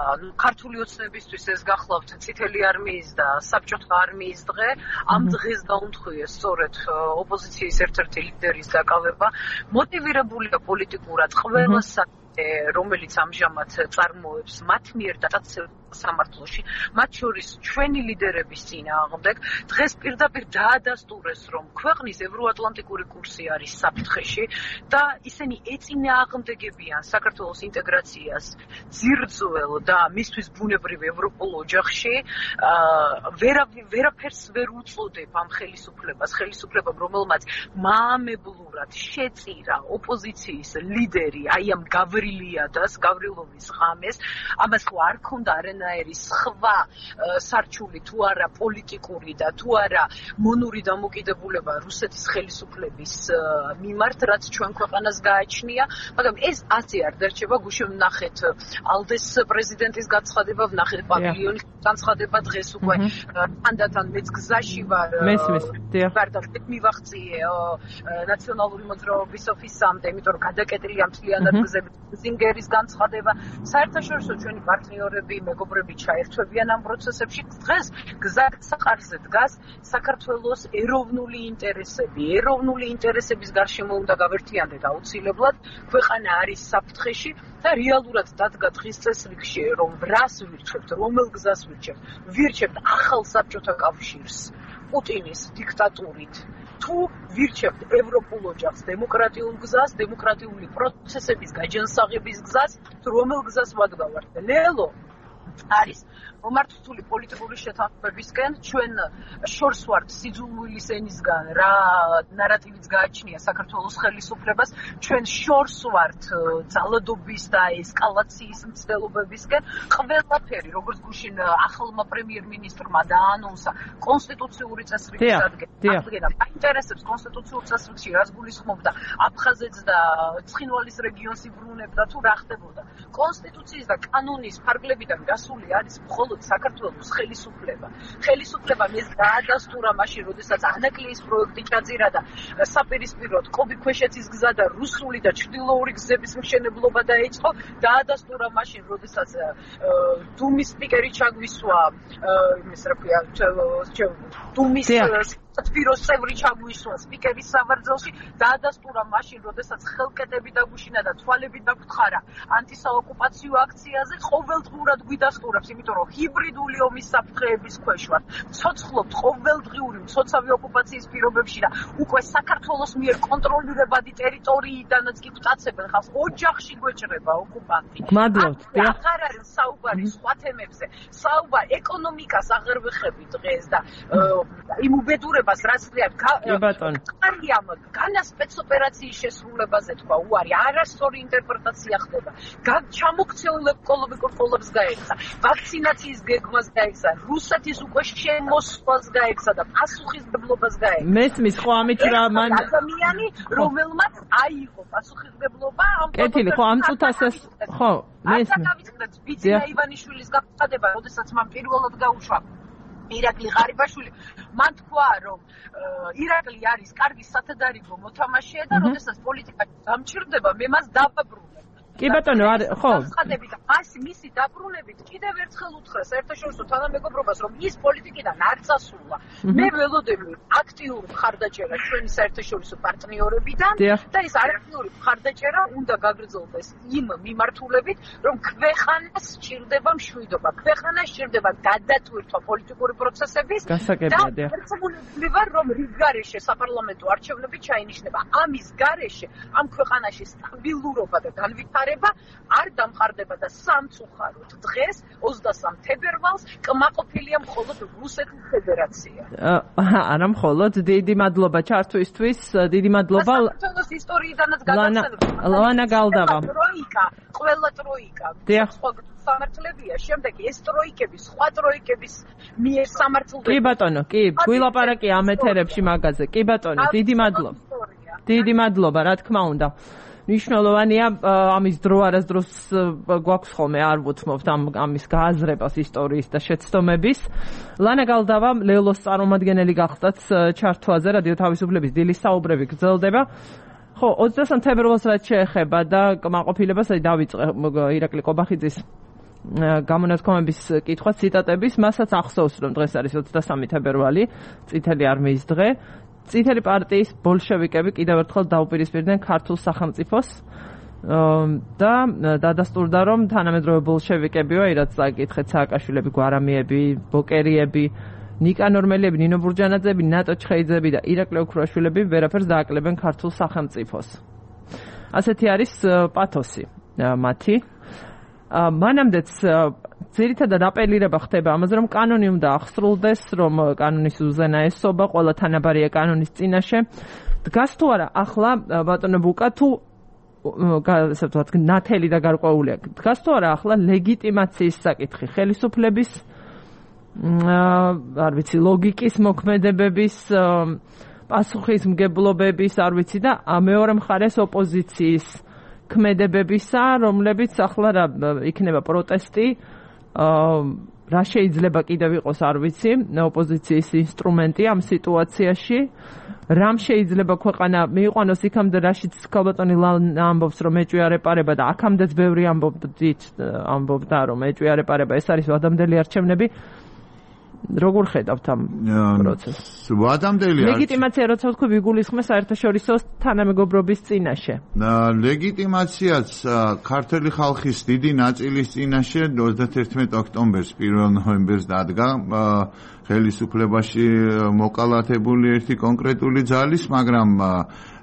ქართული ოცნებისთვის ეს გახლავთ წითელი არმიის და საბჭოთა არმიის დღე, ამ დღეს დაუნთქვიეს სწორედ ოპოზიციის ერთ-ერთი ლიდერის დაკავება, მოტივირებულია პოლიტიკურად ყველა რომელიც ამჟამად წარმოებს მათ მიერ დაწესებულ სამართლოში, მათ შორის ჩვენი ლიდერების წინააღმდეგ, დღეს პირდაპირ დაადასტურეს, რომ ქვეყნის ევროატლანტიკური კურსი არის საფრთხეში და ისინი ეწინააღმდეგებიან საქართველოს ინტეგრაციას ძირძველ და მისთვის ბუნებრივ ევროპულ ოჯახში, ვერაფერს ვერ უწოდებ ამ ხელისუფლებამ, რომელმაც მაამებლურად შეწირა ოპოზიციის ლიდერი, აი ამ გავრილოვის ღამეს, ამას ხო არ ქონდა არანაირი სხვა სარჩული თუ არა პოლიტიკური და თუ არა მონური დამოკიდებულება რუსეთის ხელისუფლების მიმართ, რაც ჩვენ ქვეყანას გააჩნია, მაგრამ ეს ასე არ დარჩება. გუშინ ვნახეთ ალდეს პრეზიდენტის განცხადება, ვნახეთ პავილიონის განცხადება, დღეს უკვე ანდათან მეც გზაში ვარ. მივახციე ნაციონალური მოძრაობის ოფისამდე, იმიტომ რომ გადაკეტილია მთლიანად გზები. ზინგერის განცხადება, საერთაშორისო ჩვენი პარტნიორები, მეგობრები ჩაერთვებიან ამ პროცესებში. დღეს გზასაყარზე დგას საქართველოს ეროვნული ინტერესების გარშემო უნდა გავერთიანდეთ აუცილებლად. ქვეყანა არის საფრთხეში და რეალურად დადგა დღის წესრიგში, რომ რას ვირჩევთ, რომელ გზას ვირჩევთ ახალ საბჭოთა კავშირს პუტინის დიქტატურით. თუ ვირჩევთ ევროპულ ოჯახს, დემოკრატიულ გზას, დემოკრატიული პროცესების გაჯანსაღების გზას, თუ რომელ გზას ვადგავართ. ლელო არის მომართული პოლიტიკური შეთანხმებისკენ, ჩვენ შორს ვართ სიძულვილის ენისგან, რა ნარატივიც გააჩნია საქართველოს ხელისუფლებას, ჩვენ შორს ვართ ძალადობის და ესკალაციის მცდელობებისკენ. ყველაფერი, როგორც გუშინ ახალმა პრემიერ-მინისტრმა დაანონსა, კონსტიტუციური წესრიგის ადგენა. აინტერესებს კონსტიტუციურ წესრიგში რას გულისხმობდა აფხაზეთს და ცხინვალის რეგიონს იბრუნებდა თუ რა ხდებოდა. კონსტიტუციის და კანონის ფარგლებიდან გასული არის მხოლოდ საქართველოს ხელისუფლებამ ეს დაადასტურა მაშინ, როდესაც ანაკლიის პროექტი ჩაძირა და საპირისპიროდ კობი-ქვეშეთის გზა და რუსული და ჩრდილოური გზების მშენებლობა დაიწყო. დაადასტურა მაშინ, როდესაც დუმის სპიკერი ჩაგვისვა, დუმის სპიროს წევრი ჩაგვისვა სპიკერის სავარძელში. დაადასტურა მაშინ, როდესაც ხელკეტები დაგუშინა და თვალები დაგთხარა ანტისაოკუპაციო აქციაზე. ყოველდღურად გვიდასტურებს, იმიტომ რომ ჰიბრიდული ომის საფრთხეების ქვეშ ვართ. ცოცხლობთ ყოველდღიური მცოცავი ოკუპაციის პირობებში და უკვე საქართველოს მიერ კონტროლირებადი ტერიტორიიდანაც კი გვტაცებენ ხალხს. ოჯახში გვეჭრება ოკუპანტი. მადლობთ. აღარ არის საუბარი სხვა თემებზე. საუბარი ეკონომიკას აღარ ვეხები დღეს და იმ უბედურებას შესრულებას რაც ხრია კარგიამ განა სპეცოპერაციის შესრულებაზე თქვა უარი არასწორი ინტერპრეტაცია ხდება ჩამოქცეულ ეკოლოგიკურ პოლებს გაეცა ვაქცინაციის გეგმას გაეცა რუსეთის უკვე შემოსვლას გაეცა და პასუხისმგებლობას გაეცა მესმის ხო ამით რა მან ადამიანი რომელმაც აიღო პასუხისმგებლობა ამ კეთილი ხო ამ წუთას ხო მესმის ბიძინა ივანიშვილის გაფრთხილება როდესაც მან პირველად გაუშვა ირაკლი ღარიბაშვილი მან თქვა რომ ირაკლი არის კარგი სათადარიგო მოთამაშეა და როდესაც პოლიტიკაში დამჭირდება მე მას დავაბრუნებ კი ბატონო ხო ხადები და მისი დაბრუნებით კიდევ ერთხელ უთხრა საერთაშორისო თანამეგობრობას რომ ის პოლიტიკიდან არ წასულა მე ველოდები აქტიური მხარდაჭერა ჩვენი საერთაშორისო პარტნიორებიდან და ეს აქტიური მხარდაჭერა უნდა გაგრძელდეს იმ მიმართულებით რომ ქვეყანას სჭირდება მშვიდობა ქვეყანას სჭირდება გადატვირთვა პოლიტიკური პროცესების გასაგებია ერთგულებული ვარ რომ რიგ გარეშე საპარლამენტო არჩევნები ჩაინიშნება ამის გარეშე ამ ქვეყანაში სტაბილურობა და განვითარება არ დამყარდება და სამწუხაროდ დღეს 23 თებერვალს კმაყოფილია მხოლოდ რუსეთის ფედერაცია. არა მხოლოდ დიდი მადლობა ჩართვისთვის, დიდი მადლობა საქართველოს ისტორიიდანაც გადასცემ. ლანა გალდავა. ტროიკა, ყველა ტროიკა. სამართლებია, შემდეგ ეს ტროიკები, სხვა ტროიკების მიერ სამართლდება. კი ბატონო, კი, გვილაპარაკი ამ ეთერებში მაგაზე. კი ბატონო, დიდი მადლობა. დიდი მადლობა, რა თქმა უნდა. მნიშვნელოვანია ამის დრო არასდროს გვაქვს ხოლმე არ ვუთმობთ ამის გააზრებას ისტორიის და შეცდომების. ლანა გალდავა ლელოს წარმომადგენელი გახდათ ჩართვაზე რადიო თავისუფლების დილის საუბრები გრძელდება. ხო 23 თებერვალს რაც შეეხება და კმაყოფილებას დავიწყე ირაკლი ყობახიძის გამონათქვამების კითხვა ციტატების მასაც ახსოვს რომ დღეს არის 23 თებერვალი წითელი არმიის დღე. წითელი პარტიის ბოლშევიკები კიდევ ერთხელ დაუპირისპირდნენ ქართულ სახელმწიფოს და დადასტურდა რომ თანამედროვე ბოლშევიკებიო რაც წაკითხეთ სააკაშვილები, გვარამიები, ბოკერიები, ნიკანორ მელიები, ნინო ბურჯანაძეები, ნატო ჩხეიძეები და ირაკლი ოქროაშვილები ვერაფერს დააკლებენ ქართულ სახელმწიფოს. ასეთი არის პათოსი მათი. მანამდეც ძირითადად აპელირება ხდება ამაზე, რომ კანონი უნდა ახსრულდეს, რომ კანონის უზენა ესობა, ყველა თანაბარია კანონის წინაშე. დგას თუ არა ახლა ბატონო ბუკა თუ ასე ვთქვათ, ნათელი და გარკვეულია. დგას თუ არა ახლა ლეგიტიმაციის საკითხი, ხელისუფლების არ ვიცი, ლოგიკის მოქმედებების, პასუხისმგებლობების, არ ვიცი და მეორე მხარეს ოპოზიციის ქმედებებისა, რომლებიც ახლა რა იქნება პროტესტი, რა შეიძლება კიდევ იყოს არ ვიცი, ოპოზიციის ინსტრუმენტი ამ სიტუაციაში, რამ შეიძლება ქვეყანა მიიყვანოს იქამდე, რაშიც ქალბატონი ამბობს, რომ ეჭვიარეპარება და აქამდეც ბევრი ამბობდა, რომ ეჭვიარეპარება, ეს არის ვადამდელი არჩევნები. როგორ ხედავთ ამ პროცესს? ვადამდელი ლეგიტიმაცია როცა ვთქვი ვიგულისხმე საერთაშორისო თანამეგობრობის წინაშე. ლეგიტიმაციაც ქართული ხალხის დიდი ნაწილის წინაშე 31 ოქტომბერს 1 ნოემბერს დადგა ხელისუფლებაში მოკალათებული ერთი კონკრეტული ძალის, მაგრამ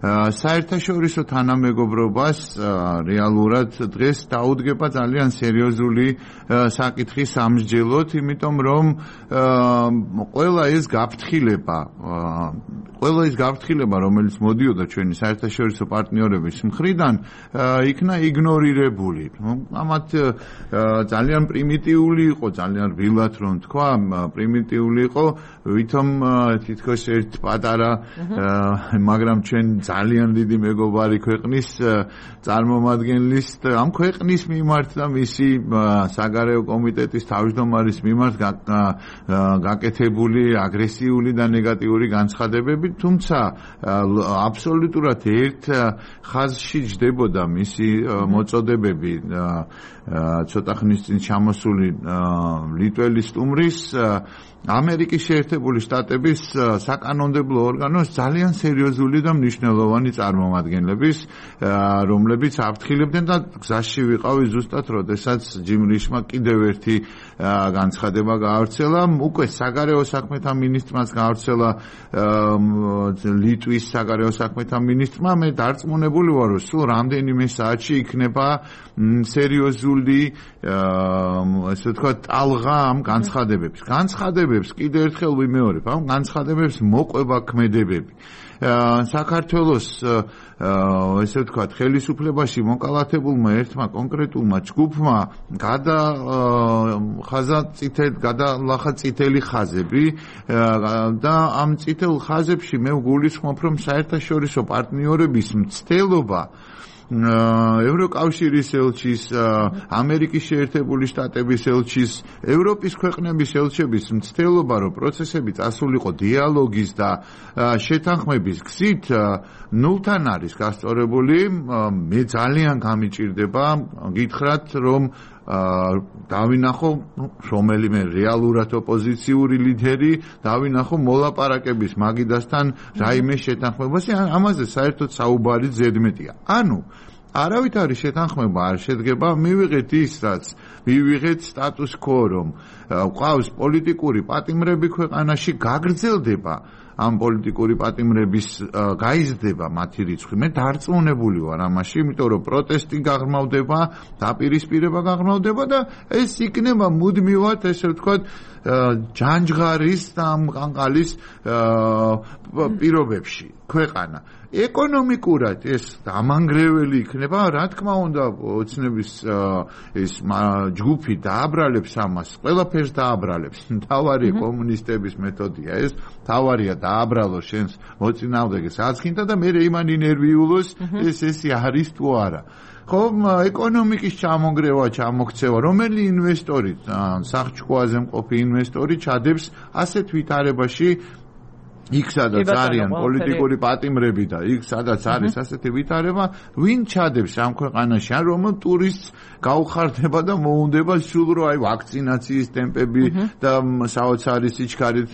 საერთაშორისო თანამეგობრობას რეალურად დღეს დაუდგება ძალიან სერიოზული საკითხი სამსჯელოდ, იმიტომ რომ ყველა ეს გაფრთხილება, რომელიც მოდიოდა ჩვენი საერთაშორისო პარტნიორების მხრიდან, იქნა იგნორირებული. ამათ ძალიან პრიმიტიული იყო, ძალიან რბილად რომ თქვა, პრიმიტიული იყო, ვითომ თითქოს ერთ პატარა, მაგრამ ჩვენ ძალიან დიდი მეგობარი ქვეყნის წარმომადგენლის ამ ქვეყნის მიმართ და მისი საგარეო კომიტეტის თავმჯდომარის მიმართ გაკეთებული აგრესიული და ნეგატიური განცხადებები, თუმცა აბსოლუტურად ერთ ხაზში ჯდებოდა მისი მოწოდებები ცოტა ხნის წინ ჩამოსული ლიტველი სტუმრის ამერიკის შეერთებული შტატების საკანონმდებლო ორგანოს ძალიან სერიოზული და მნიშვნელოვანი მნიშვნელოვანი წარმომადგენლების, რომლებიც აფრთხილებდნენ და გზაში ვიყავი ზუსტად, როდესაც ჯიმ რიშმა კიდევ ერთი განცხადება გაავრცელა, უკვე საგარეო საქმეთა მინისტრმაც გაავრცელა ლიტვის საგარეო საქმეთა მინისტრმა, მე დარწმუნებული ვარ, რომ სულ რამდენიმე საათში იქნება სერიოზული ესე ვთქვათ ტალღა ამ განცხადებებს. განცხადებებს კიდევ ერთხელ ვიმეორებ, ამ განცხადებებს მოყვება ქმედებები. საქართველოს ესე ვთქვათ ხელისუფლებაში მოკალათებულმა ერთმა კონკრეტულმა ჯგუფმა გადალახა წითელი ხაზები და ამ წითელ ხაზებში მე ვგულისხმობ, რომ საერთაშორისო პარტნიორების მცდელობა ევროკავშირის ელჩის, ამერიკის შეერთებული შტატების ელჩის, ევროპის ქვეყნების ელჩების მცდელობა, რომ პროცესები წასულიყო დიალოგის და შეთანხმების გზით, ნულთან არის გასწორებული. მე ძალიან გამიჭირდება გითხრათ, რომ დავინახო რომელიმე რეალურად ოპოზიციური ლიდერი, დავინახო მოლაპარაკების მაგიდასთან რაიმე შეთანხმებაში, ამაზე საერთოდ საუბარი ზედმეტია. ანუ არავით არის შეთანხმება არ შედგება, მივიღეთ ის, რაც მივიღეთ სტატუს quo, რომ ყავს პოლიტიკური პატიმრები ქვეყანაში, გაგრძელდება ამ პოლიტიკური პატიმრების გაიზრდება მათი რიცხვი. მე დარწმუნებული ვარ ამაში, იმიტომ რომ პროტესტი გაღრმავდება, დაპირისპირება გაღრმავდება და ეს იქნება მუდმივად, ესე ვთქვათ, ჯანჯღარის და ყანყალის პირობებში ქვეყანა. ეკონომიკურად ეს ამანგრეველი იქნება, რა თქმა უნდა, ოცნების ეს ჯგუფი დააბრალებს ამას, ყველაფერს დააბრალებს. თავარი კომუნისტების მეთოდია ეს, თავარია დააბრალო შენს მოწინააღმდეგეს აცხინდა და მე იმანი ნერვიულოს ეს არის თუ არა. ხო, ეკონომიკის ჩამონგრევა, ჩამოქცევა, რომელი ინვესტორი, სახჭკოაზე მყოფი ინვესტორი ჩადებს ასეთ ვითარებაში, იქ სადაც არიან პოლიტიკური პატიმრები და იქ სადაც არის ასეთი ვითარება, ვინ ჩადებს ამ ქვეყანაში, ან რომელ ტურისტს გაუხარდება და მოუნდება სულ რომ აი ვაქცინაციის ტემპები და საოცარი სიჩქარით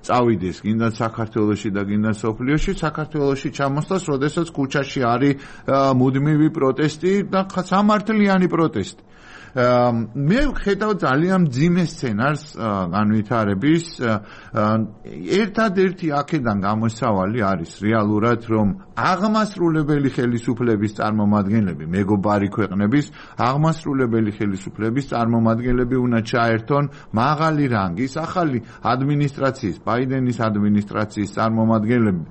წავიდეს, გინდა საქართველოში და გინდა სოფლიოში, საქართველოში ჩამოსვლას, როდესაც ქუჩაში არის მუდმივი პროტესტი და სამართლიანი პროტესტი. მე ხედავ ძალიან მძიმე სცენარს განვითარების. ერთადერთი აქედან გამოსავალი არის რეალურად, რომ აღმასრულებელი ხელისუფლების წარმომადგენლები, მეგობარი ქვეყნების აღმასრულებელი ხელისუფლების წარმომადგენლები უნდა ჩაერთონ მაღალი რანგის ახალი ადმინისტრაციის, ბაიდენის ადმინისტრაციის წარმომადგენლები.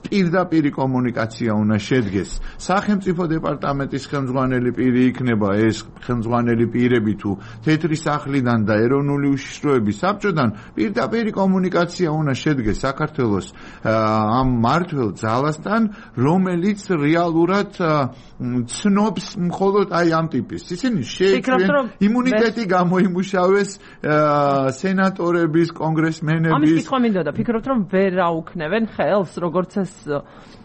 პირდაპირი კომუნიკაცია უნდა შედგეს. სახელმწიფო დეპარტამენტის ხელმძღვანელი პირი იქნება ეს ხელმძღვანელი პირები თუ თეთრი სახლიდან და ეროვნული უშიშროების საბჭოდან პირდაპირი კომუნიკაცია უნდა შედგეს საქართველოს ამ მმართველ ძალასთან, რომელიც რეალურად ცნობს მხოლოდ აი ამ ტიპის. ისინი შეეცვლიან იმუნიტეტი გამოიმუშავეს სენატორების, კონგრესმენების. ამის კითხვა მინდოდა, ფიქრობთ რომ ვერ აუქნევენ ხელს, როგორც ეს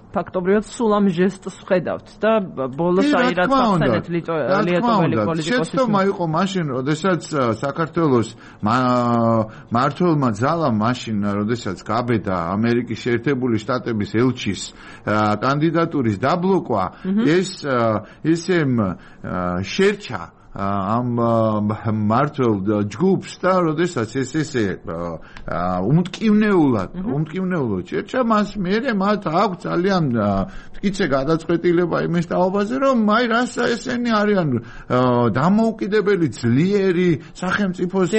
ფაქტობრივად სულ ამ ჟესტს ხედავთ და ბოლოს აი რაც ახსენეთ ლიეტოველი პოლიტიკოსის შეცდომა იყო მაშინ, როდესაც საქართველოს მმართველმა ძალამ მაშინ, როდესაც გაბედა ამერიკის შეერთებული შტატების ელჩის კანდიდატურის დაბლოკვა, ეს ისე შერჩა ამ მმართველ ჯგუფს და როდესაც ესე უმტკივნეულად შეერჩა მას, მერე მათ აქვს ძალიან მტკიცე გადაწყვეტილება იმის თაობაზე, რომ აი რას ესენი არიან დამოუკიდებელი ძლიერი სახელმწიფოს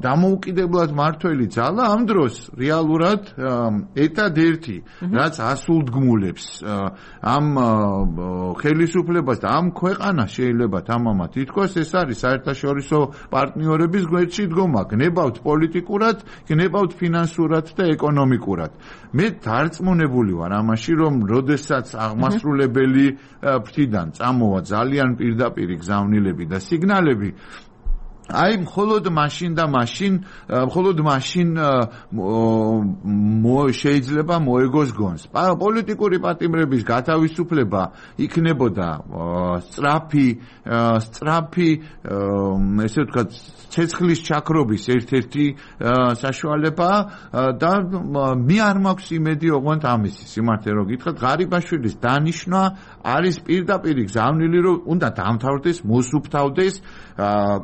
დამოუკიდებლად მმართველი ძალა, ამ დროს რეალურად ერთადერთი რაც ასულდგმულებს ამ ხელისუფლებას და ამ ქვეყანას შეიძლება თამამად ითქვას, ეს არის საერთაშორისო პარტნიორების გვერდში დგომა, გნებავთ პოლიტიკურად, გნებავთ ფინანსურად და ეკონომიკურად. მე დარწმუნებული ვარ ამაში, რომ როდესაც აღმასრულებელი ფრთიდან წამოვა ძალიან პირდაპირი გზავნილები და სიგნალები, აი მხოლოდ მაშინ შეიძლება მოეგოს გონს. პოლიტიკური პატიმრების გათავისუფლება იქნებოდა სწრაფი ესე ვთქვათ ცეცხლის ჩაქრობის ერთ-ერთი საშუალება და მე არ მაქვს იმედი ოღონდ ამისი სიმართლე რომ გითხრათ ღარიბაშვილის დანიშვნა არის პირდაპირ გზავნილი რომ უნდა დამთავრდეს მოსუფთავდეს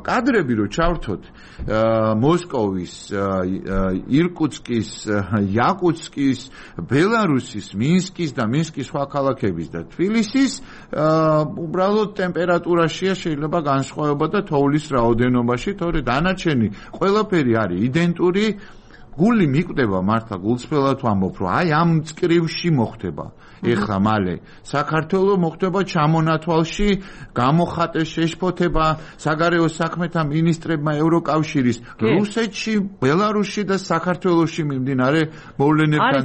კადრები რომ ჩავრთოთ მოსკოვის ირკუტსკის იაკუტსკის ბელარუსის მინსკის და მინსკის სხვა ქალაქების და თბილისის უბრალოდ ტემპერატურაშია შეიძლება განსხვავება და თოვლის რაოდენობაში თორე დანარჩენი ყველაფერი არის იდენტური გული მიკვდება მართლა გულწრფელად ვამბობ რომ აი ამ წკრივში მოხდება ეხლა მალე საქართველოს მოხდება ჩამონათვალში გამოხატეს შეშფოთება საგარეო საქმეთა მინისტრებმა ევროკავშირის რუსეთში ბელარუსში და საქართველოში მიმდინარე მოვლენებთან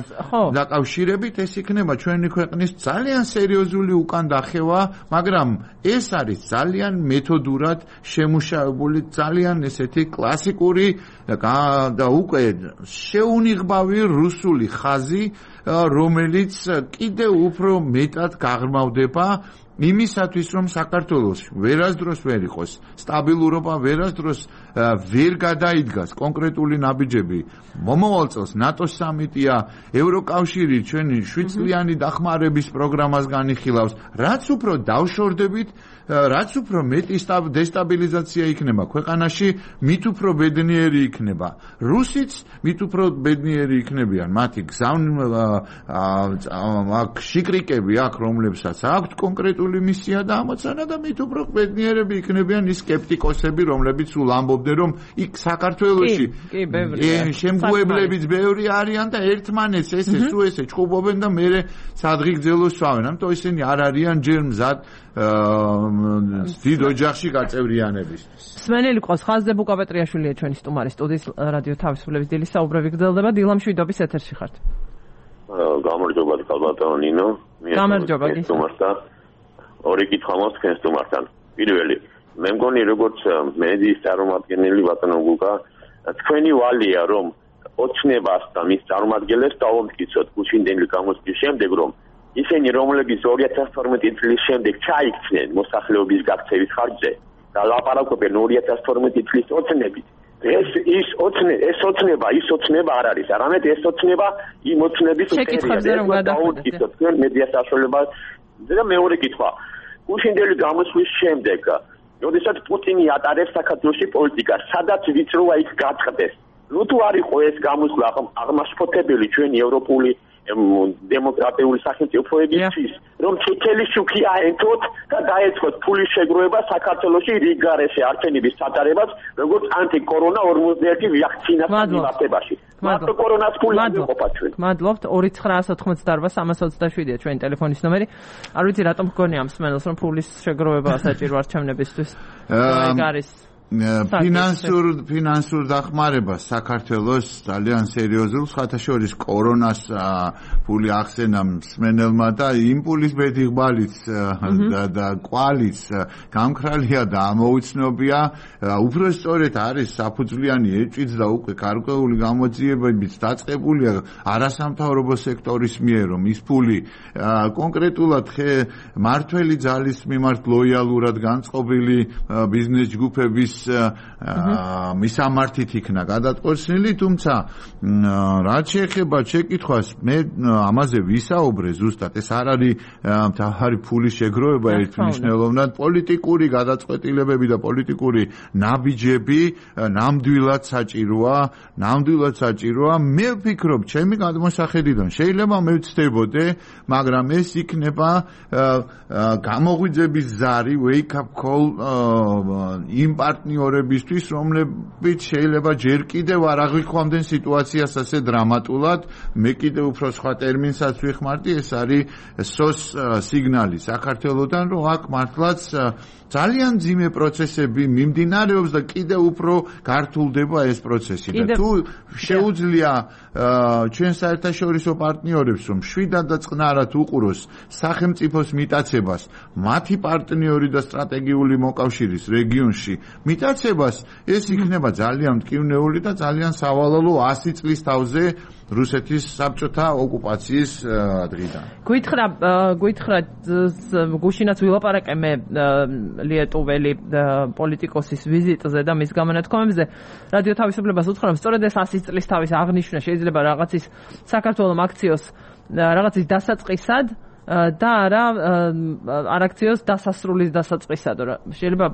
დაკავშირებით ეს იქნება ჩვენი ქვეყნის ძალიან სერიოზული უკან დახევა მაგრამ ეს არის ძალიან მეთოდურად შემუშავებული ძალიან ესეთი კლასიკური და უკვე შეუნიღბავი რუსული ხაზი რომელიც კიდევ უფრო მეტად გაღრმავდება იმისათვის რომ საქართველოს ვერასდროს ვერ იყოს სტაბილურობა ვერასდროს ვერ გადაიდგას კონკრეტული ნაბიჯები მომავალ წელს ნატოს სამიტია ევროკავშირი ჩვენი 7 წლიანი დახმარების პროგრამას განიხილავს რაც უფრო დავშორდებით რაც უფრო მეტი დესტაბილიზაცია იქნება ქვეყანაში მით უფრო ბედნიერი იქნება რუსიც მით უფრო ბედნიერი იქნებიან მათი შიკრიკები აქ რომლებსაც აქვთ კონკრეტული მისია და ამოცანა და მით უფრო ბედნიერები იქნებიან ის სკეპტიკოსები რომლებიც სულ ამბობდნენ რომ იქ საქართველოში შემგუებლებიც ბევრი არიან და ერთმანეთს ესე ჩხუბობენ და მე სადღი გძელოს სვავენ ამიტომ ისინი არ არიან ჯერ მზად დიდ ოჯახში გაწევრიანებისთვის. სმენელი ყავს ხაზზე ბუკაპეტრიაშვილია ჩვენი სტუმარი სტუდიის რადიო თავისუფლების დილის საუბრები გრძელდება დილა მშვიდობის ეთერში ხართ. გამარჯობა ქალბატონო ნინო. გამარჯობა სტუმართან. ორი კითხვა მაქვს თქვენ სტუმართან. პირველი მე მგონი როგორც მედიის წარმომადგენელი ბატონო გუგა თქვენი ვალია რომ ოცნებას და მის წარმომადგენლებს დავამტკიცოთ გუშინდელი გამოსვლის შემდეგ რომ ისინი რომლებიც 2012 წლის შემდეგ ჩაიქცნენ მოსახლეობის გაქცევის ხარჯზე და ლაპარაკობენ 2012 წლის ოცნებით ეს ოცნება არ არის არამედ ეს ოცნება იმ ოცნების წერია დავამტკიცოთ თქვენ მედია საშუალებას და მეორე კითხვა გუშინდელი გამოსვლის შემდეგ როდესაც პუტინი ატარებს საქართველოში პოლიტიკას სადაც ვიწროა იქ გაწყდეს თუ არ იყო ეს გამოსვლა აღმაშფოთებელი ჩვენი ევროპული დემოკრატიული სახელმწიფოებისთვის რომ წითელი შუქი აენთოთ და დაეწყოთ ფულის შეგროვება საქართველოში რიგ გარეშე არჩევნების ჩატარებას როგორც ანტიკორონა 41 ვაქცინას მიმართებაში მარტო კორონას ფული არ იყოფა ჩვენ მადლობთ 2988-327-ია ჩვენი ტელეფონის ნომერი არ ვიცი რატომ გქონია ამ სმენელს რომ ფულის შეგროვება საჭირო არჩევნებისთვის ეგ არის ფინანსურ დახმარებას საქართველოს ძალიან სერიოზულ ხათაშორის კორონას ფული ახსენა მსმენელმა და იმპულის ბედიღბალიც და კვალიც გამქრალია და ამოუცნობია უფრო სწორედ არის საფუძვლიანი ეჭვიც და უკვე გარკვეული გამოძიებებიც დაწყებულია არასამთავრობო სექტორის მიერ რომ ის ფული კონკრეტულად მართველი ძალის მიმართ ლოიალურად განწყობილი ბიზნეს ჯგუფების მისამართით იქნა გადატყვევილი თუმცა რაც შეეხება შეკითხვას მე ამაზე ვისაუბრე ზუსტად ეს არ არის მთავარი ფულის შეგროვება ერთმნიშვნელოვნად პოლიტიკური გადაწყვეტილებები და პოლიტიკური ნაბიჯები ნამდვილად საჭიროა მე ვფიქრობ ჩემი გადმოსახედიდან შეიძლება მე ვცდებოდე მაგრამ ეს იქნება გამოღვიძების ზარი wake up call იმ პარტნიორებისთვის რომლებიც შეიძლება ჯერ კიდევ არ აღვიქვამდნენ სიტუაციას ასე დრამატულად მე კიდევ უფრო სხვა ტერმინსაც ვიხმარდი ეს არის SOS სიგნალი საქართველოსთან რომ აქ მართლაც ძალიან ძიმე პროცესები მიმდინარეობს და კიდევ უფრო გართულდება ეს პროცესი და თუ შეუძლია ჩვენ საერთაშორისო პარტნიორებს რომ შვიდად და წყნარად უყუროს სახელმწიფოს მიტაცებას მათი პარტნიორი და სტრატეგიული მოკავშირის რეგიონში მიტაცებას ეს იქნება ძალიან მტკივნეული და ძალიან სავალალო 100 წლის თავზე რუსეთის საბჭოთა ოკუპაციის დღიდან. გითხრა გუშინაც ვილაპარაკე მე ლიეტუველი პოლიტიკოსის ვიზიტზე და მის გამონათქვამებზე რადიო თავისუფლებას უთხრა რომ სწორედ ეს 100 წლის თავის აღნიშვნა შეიძლება რაღაცის საქართველოს აქციოს რაღაცის დასაწყისად და არა აქციოს დასასრულის დასაწყისად. შეიძლება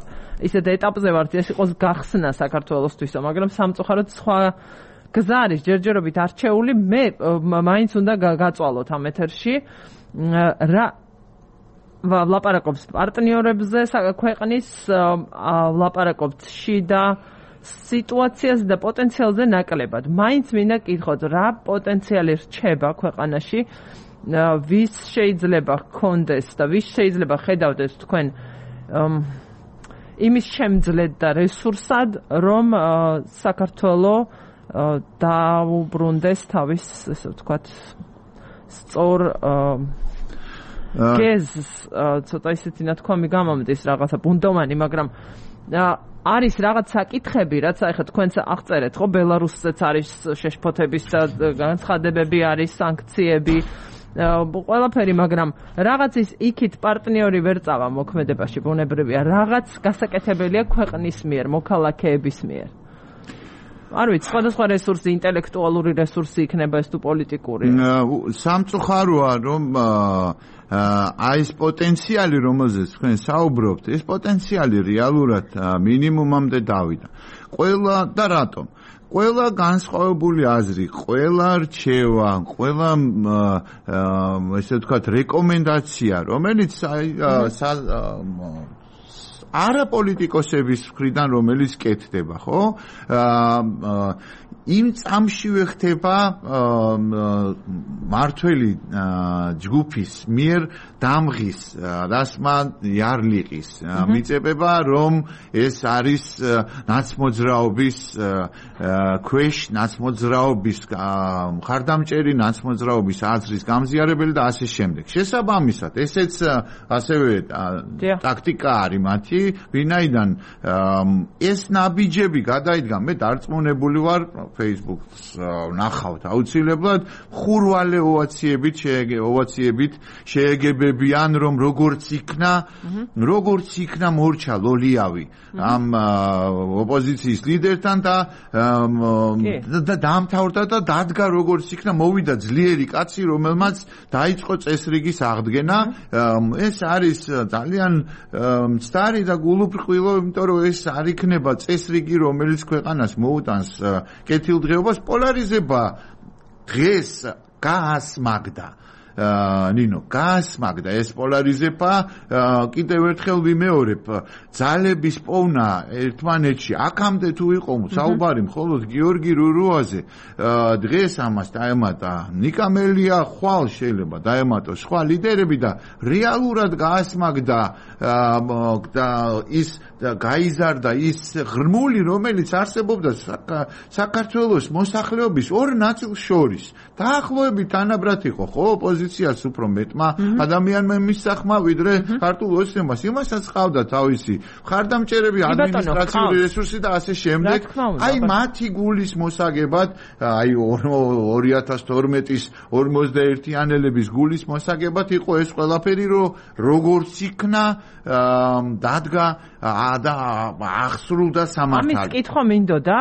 ისეთ ეტაპზე ვართ ეს იყოს გახსნა საქართველოსთვისო, მაგრამ სამწუხაროდ სხვა გზა არის ჯერჯერობით არჩეული. მე მაინც უნდა გაწვალოთ ამ ეთერში რა ვლაპარაკობს პარტნიორებზე ქვეყნის ვლაპარაკობს შიდა სიტუაციაზე და პოტენციალზე ნაკლებად. მაინც მინდა კითხოთ რა პოტენციალი რჩება ქვეყანაში, ვის შეიძლება ჰქონდეს და ვის შეიძლება ხედავდეს თქვენ იმის შემძლედ და რესურსად, რომ საქართველოს დაუბრუნდეს თავის, ესე ვთქვათ, სწორ გეზს, ცოტა ისეთი ნათქვამი გამომდის რაღაცა ბუნდოვანი, მაგრამ არის რაღაც საკითხები, რაც ახლა თქვენც აღწერეთ, ხო, ბელარუსზეც არის შეშფოთების განცხადებები, არის სანქციები, ყველაფერი, მაგრამ რაღაცის იქით პარტნიორი ვერ წავა მოქმედებაში, ბუნებრივია, რაღაც გასაკეთებელია ქვეყნის მიერ, მოქალაქეების მიერ. არ ვიცი, სხვადასხვა რესურსი, ინტელექტუალური რესურსი იქნება ეს თუ პოლიტიკური. სამწუხაროა, რომ აი ეს პოტენციალი, რომელზეც თქვენ საუბრობთ, ეს პოტენციალი რეალურად მინიმუმამდე დავიდა. ყველა და რატომ? ყველა განსხვავებული აზრი, ყველა რჩევა, ყველა ესე ვთქვათ რეკომენდაცია, რომელიც არაპოლიტიკოსების მხრიდან რომელიც კეთდება, ხო? იმ წამშივე ხდება მართველი ჯგუფის მიერ დამღის რასმა იარლიყის მიწებება, რომ ეს არის ნაცმოძრაობის ქვეშ, ნაცმოძრაობის მხარდამჭერი, ნაცმოძრაობის აზრის გამზიარებელი და ასე შემდეგ. შესაბამისად, ესეც ასევე ტაქტიკა არის მათი, ვინაიდან ეს ნაბიჯები გადაიდგა, მე დარწმუნებული ვარ, Facebook-ს ნახავთ აუცილებლად, ხურვალე ოვაციებით შეეგებებიან, რომ როგორც იქნა მორჩა ლოლიავი ამ ოპოზიციის ლიდერთან და დაამთავრდა და დადგა როგორც იქნა, მოვიდა ძლიერი კაცი, რომელმაც დაიწყო წესრიგის აღდგენა. ეს არის ძალიან მცდარი და გულუბრყვილო, იმიტომ რომ ეს არ იქნება წესრიგი, რომელიც ქვეყანას მოუტანს კეთილდღეობას. პოლარიზება დღეს გაასმაგდა ნინო, გაასმაგდა ეს პოლარიზება. კიდევ ერთხელ ვიმეორებ, ძალების პოვნა ერთმანეთში აქამდე თუ იყო საუბარი მხოლოდ გიორგი რურუაზე, დღეს ამას დაემატა ნიკამელია, ხვალ შეიძლება დაემატოს სხვა ლიდერები და რეალურად გაასმაგდა და ის გაიზარდა ის ღრმული, რომელიც არსებობდა საქართველოს მოსახლეობის ორ ნაწილს შორის. დაახლოებით თანაბრად იყო, ხო, ოპოზიციას უფრო მეტმა ადამიანმა მისახმა, ვიდრე ქართულ ოცნებას. იმასაც ყავდა თავისი მხარდამჭერები, ადმინისტრაციული რესურსი და ასე შემდეგ. აი მათი გულის მოსაგებად, აი 2012-ის 51-იანელების გულის მოსაგებად იყო ეს ყველაფერი, რომ როგორც იქნა დადგა და აღსრულდა სამართალი. ამის კითხვა მინდოდა,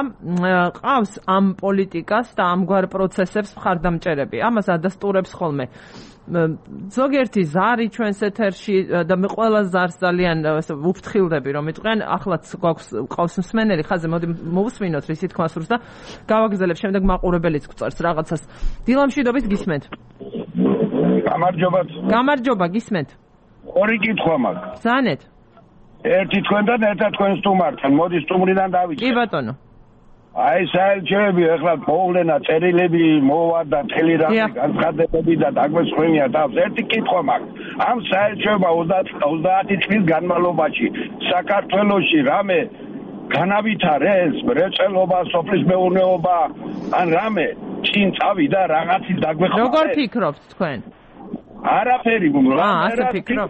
ყავს ამ პოლიტიკას და ამგვარ პროცესებს მხარდამჭერები. ამას ადასტურებს ხოლმე ზოგიერთი ზარი ჩვენს ეთერში და მე ყველა ზარს ძალიან ვუფრთხილდები, რომ იტყვიან, ახლაც გვყავს მსმენელი ხაზზე, მოდი მოვუსმინოთ რის თქმა სურს და გავაგზავნებ, შემდეგ მაყურებელიც გვწერს რაღაცას. დილამშვიდობით გისმენთ. გამარჯობა, გისმენთ. ორი კითხვა მაქვს. ბრძანეთ. ერთი თქვენთან, ერთად თქვენ სტუმართან. მოდი სტუმრიდან დავიწყე. კი ბატონო. აი საერთოდ ეხლა მოვლენა წერილები მოვა და მთელი რამე განცხადებები და დაგვესხვენია თავს. ერთი კითხვა მაქვს. ამ საერთოდ 30 წლის განმავლობაში საქართველოში რამე განავითარეს მრეწველობა, სოფლის მეურნეობა, ან რამე წინ წავიდა რაღაცის დაგვეხმარება. როგორ ფიქრობთ თქვენ? არაფერი ასე ფიქრობ.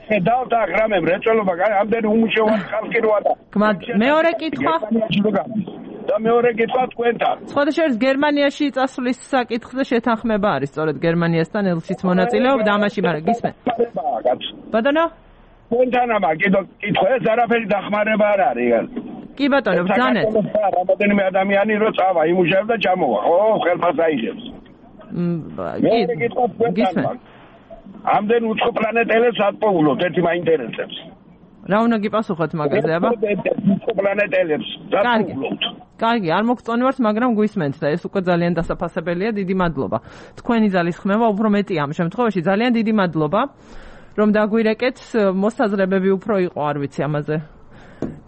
ხედავთ აღრამე მრეწველობა, ამდენი უმუშევარი ხალხი როა და. მეორე კითხვა. და მეორე კითხვა თქვენთან. სხვადასხვა გერმანიაში წასვლის საკითხზე შეთანხმება არის, სწორედ გერმანიასთან ელშიც მონაწილეობდა ამაში, მაგრამ გისმენ. ბატონო? თქვენთან ამა კითხვა ეს არაფერი დახმარება არ არის. კი ბატონო, ბრძანეთ. რამოდენიმე ადამიანი რო წავა, იმუშავებს და ჩამოვა, ხო, ხელფას აიღებს. გისმენ. ამდენ უცხო პლანეტელებს ატყუვლოთ, ერთი მაინტერესებს. რა უნდა გიპასუხოთ მაგაზე, აბა? უცხო პლანეტელებს ატყუვლოთ. კარგი, არ მოგწონებთ, მაგრამ გვისმენთ და ეს უკვე ძალიან დასაფასებელია, დიდი მადლობა. თქვენი ძალისხმევა უფრო მეტია ამ შემთხვევაში, ძალიან დიდი მადლობა, რომ დაგვირეკეთ, მოსაზრებები უფრო იყო, არ ვიცი ამაზე.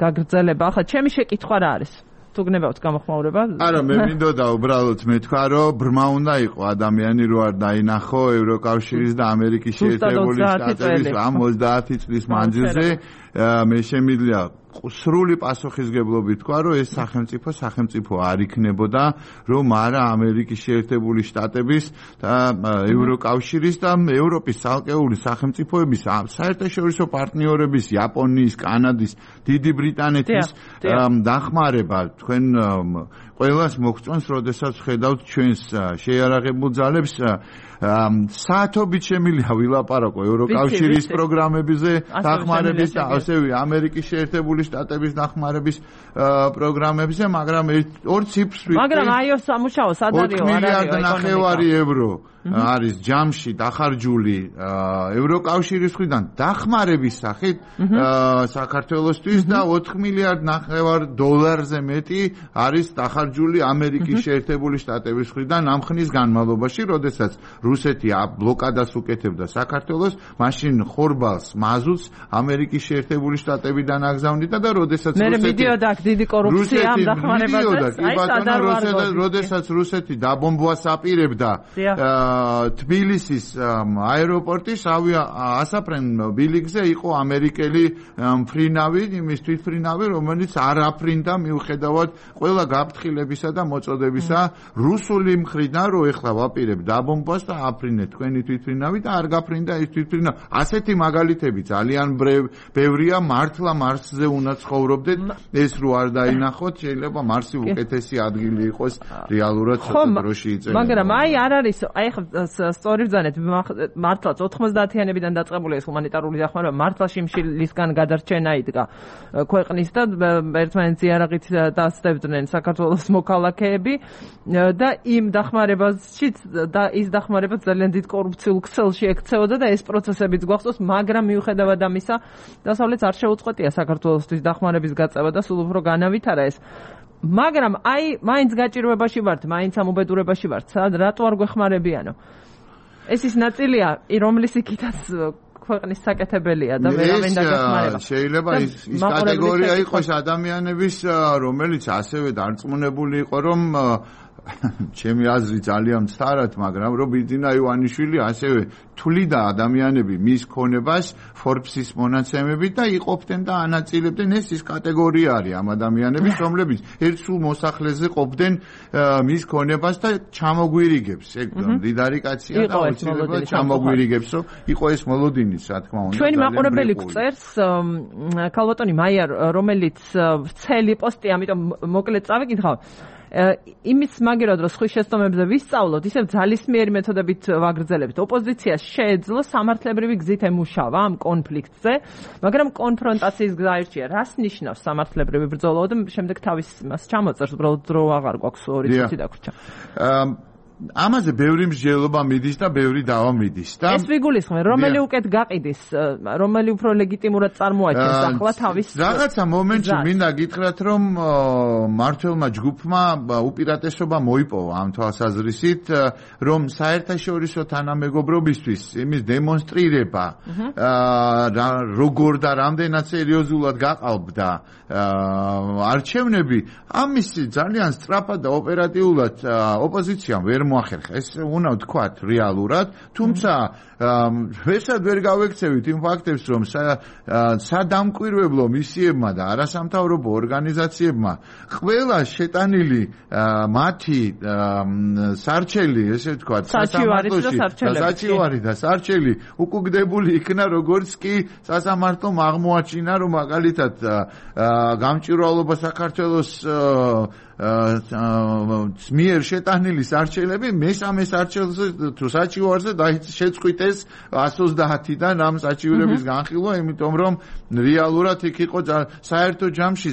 გაგრძელება. ახლა ჩემი შეკითხვა რა არის? თუ გნებავთ გამოხმაურება? არა, მე მინდოდა უბრალოდ მეთქვა, რომ ბრმა უნდა იყო ადამიანი რო არ დაინახო ევროკავშირის და ამერიკის შეერთებული შტატების ამ 30 წლის მანძილზე, მე შემიძლია სრული პასუხისგებლობით თქვა, რომ ეს სახელმწიფო არ იქნებოდა, რომ არა ამერიკის შეერთებული შტატების და ევროკავშირის და ევროპის ცალკეული სახელმწიფოების საერთაშორისო პარტნიორების, იაპონიის, კანადის, დიდი ბრიტანეთის დახმარება თქვენ ყველას მოგწონს, როდესაც ხედავთ ჩვენს შეიარაღებულ ძალებს საათობით შემიძლია ვილაპარაკო ევროკავშირის პროგრამებზე დახმარების და ასევე ამერიკის შეერთებული შტატების დახმარების პროგრამებზე, მაგრამ ორ ციფრს ვიტყვი. მაგრამ აიოს სამუშაო სად არის? 4 მილიარდ ნახევარი ევრო არის ჯამში დახარჯული ევროკავშირის მხრიდან დახმარების სახით საქართველოსთვის და 4 მილიარდ ნახევარ დოლარზე მეტი არის დახარჯული ამერიკის შეერთებული შტატების მხრიდან ამ ხნის განმავლობაში, როდესაც რუსეთი ბლოკადას უკეთებდა საქართველოს, მაშინ ხორბალს, მაზუტს ამერიკის შეერთებული შტატებიდან აგზავნიდა და როდესაც რუსეთი მე მიდიოდა აქ დიდი კორუფცია ამ დახმარებაზე, როდესაც რუსეთი დაბომბვას აპირებდა თბილისის აეროპორტის ასაფრენ ბილიკზე იყო ამერიკელი მფრინავი, იმის თვითმფრინავი, რომელიც არ აფრინდა მიუხედავად ყველა გაფრთხილებისა და მოწოდებისა რუსული მხრიდან, რომ ეხლა ვაპირებ დაბომბვას და აფრინეთ თქვენი თვითმფრინავი და არ გაფრინდა ის თვითმფრინავი. ასეთი მაგალითები ძალიან ბევრია, მართლა მარსზე უნდა ცხოვრობდეთ, ეს რო არ დაინახოთ, შეიძლება მარსი უკეთესი ადგილი იყოს რეალურად დროში იწერება. მაგრამ არ არის, სწორი ბრძანეთ, მართლაც 90-იანებიდან დაწყებული ეს ჰუმანიტარული დახმარება მართლა შიმშილისგან გადარჩენა იდგა ქვეყნის და ერთმანეთს იარაღით დასდებდნენ საქართველოს მოქალაქეები და იმ დახმარებაშიც და ის დახმარება ძალიან დიდ კორუფციულ ქსელში ექცეოდა და ეს პროცესებიც გვახსოვს, მაგრამ მიუხედავად ამისა, დასავლეთს არ შეუწყვეტია საქართველოსთვის დახმარების გაწევა და სულ უფრო განავითარა ეს. მაგრამ მაინც გაჭირვებაში ვართ, მაინც ამ უბედურებაში ვართ, რატო არ გვეხმარებიანო? ეს ის ნაწილია, რომლის იქითაც ქვეყნის საკეთებელია და ვერავინ დაგეხმარება. შეიძლება ის კატეგორია იყოს ადამიანების, რომელიც ასევე დარწმუნებული იყო, რომ ჩემი აზრი ძალიან მცდარად, მაგრამ რომ ბიძინა ივანიშვილი ასევე თვლიდა ადამიანები მის ქონებას Forbes-ის მონაცემებით და იყოფდნენ და ანაწილებდნენ, ეს ის კატეგორია არის ამ ადამიანების, რომლებიც ერთ სულ მოსახლეზე ყოფდნენ მის ქონებას და ჩამოგვირიგებს. ეგ მდიდარი კაცია და აუცილებლად ჩამოგვირიგებს, რომ იყო ეს მოლოდინიც, რა თქმა უნდა. ჩვენი მაყურებელი გწერს ქალბატონი მაია, რომელიც ვრცელი პოსტი, ამიტომ მოკლედ წავიკითხავ. იმის მაგერად რომ სხვის შეცდომებზე ვისწავლოთ, ისევ ძალისმიერი მეთოდებით ვაგრძელებთ. ოპოზიციას შეეძლო სამართლებრივი გზით ემუშავა ამ კონფლიქტზე, მაგრამ კონფრონტაციის გზა ერჩია. რას ნიშნავს სამართლებრივი ბრძოლა და შემდეგ თავის მას ჩამოწერს, უბრალოდ დრო აღარ გვაქვს 2 წუთი დაგვრჩა. ამაზე ბევრი მსჯელობა მიდის და ბევრი დავა მიდის და ეს ვიგულისხმენ, რომელი უკეთ გაყიდის, რომელი უფრო ლეგიტიმურად წარმოაჩენს ახლა თავის რაღაცა მომენტში მინდა გითხრათ, რომ მართლმა ჯგუფმა უპირატესობა მოიპოვა ამ თვალსაზრისით, რომ საერთაშორისო თანამეგობრობისთვის იმის დემონსტრირება როგორ და რამდენად სერიოზულად გაყალბდა არჩევნები, ამის ძალიან სწრაფად და ოპერატიულად ოპოზიციამ ვერ მოახერხა. ეს უნდა ვთქვათ რეალურად, თუმცა ვესაც ვერ გავექცევით იმ ფაქტებს, რომ სადამკვირვებლო მისიებმა და არასამთავრობო ორგანიზაციებმა ყველა შეტანილი მათი სარჩელი, ესე ვთქვათ, საჩივარი და სარჩელი უკუგდებული იქნა, როგორც კი სასამართლომ აღმოაჩინა, რომ მაგალითად გამჭვირვალობა საქართველოს მიერ შეტანილი სარჩელები მესამე სარჩელზე თუ საჩივარზე შეწყვიტეს 130-დან ამ საჩივრების განხილვა, იმიტომ რომ რეალურად იქ იყო საერთო ჯამში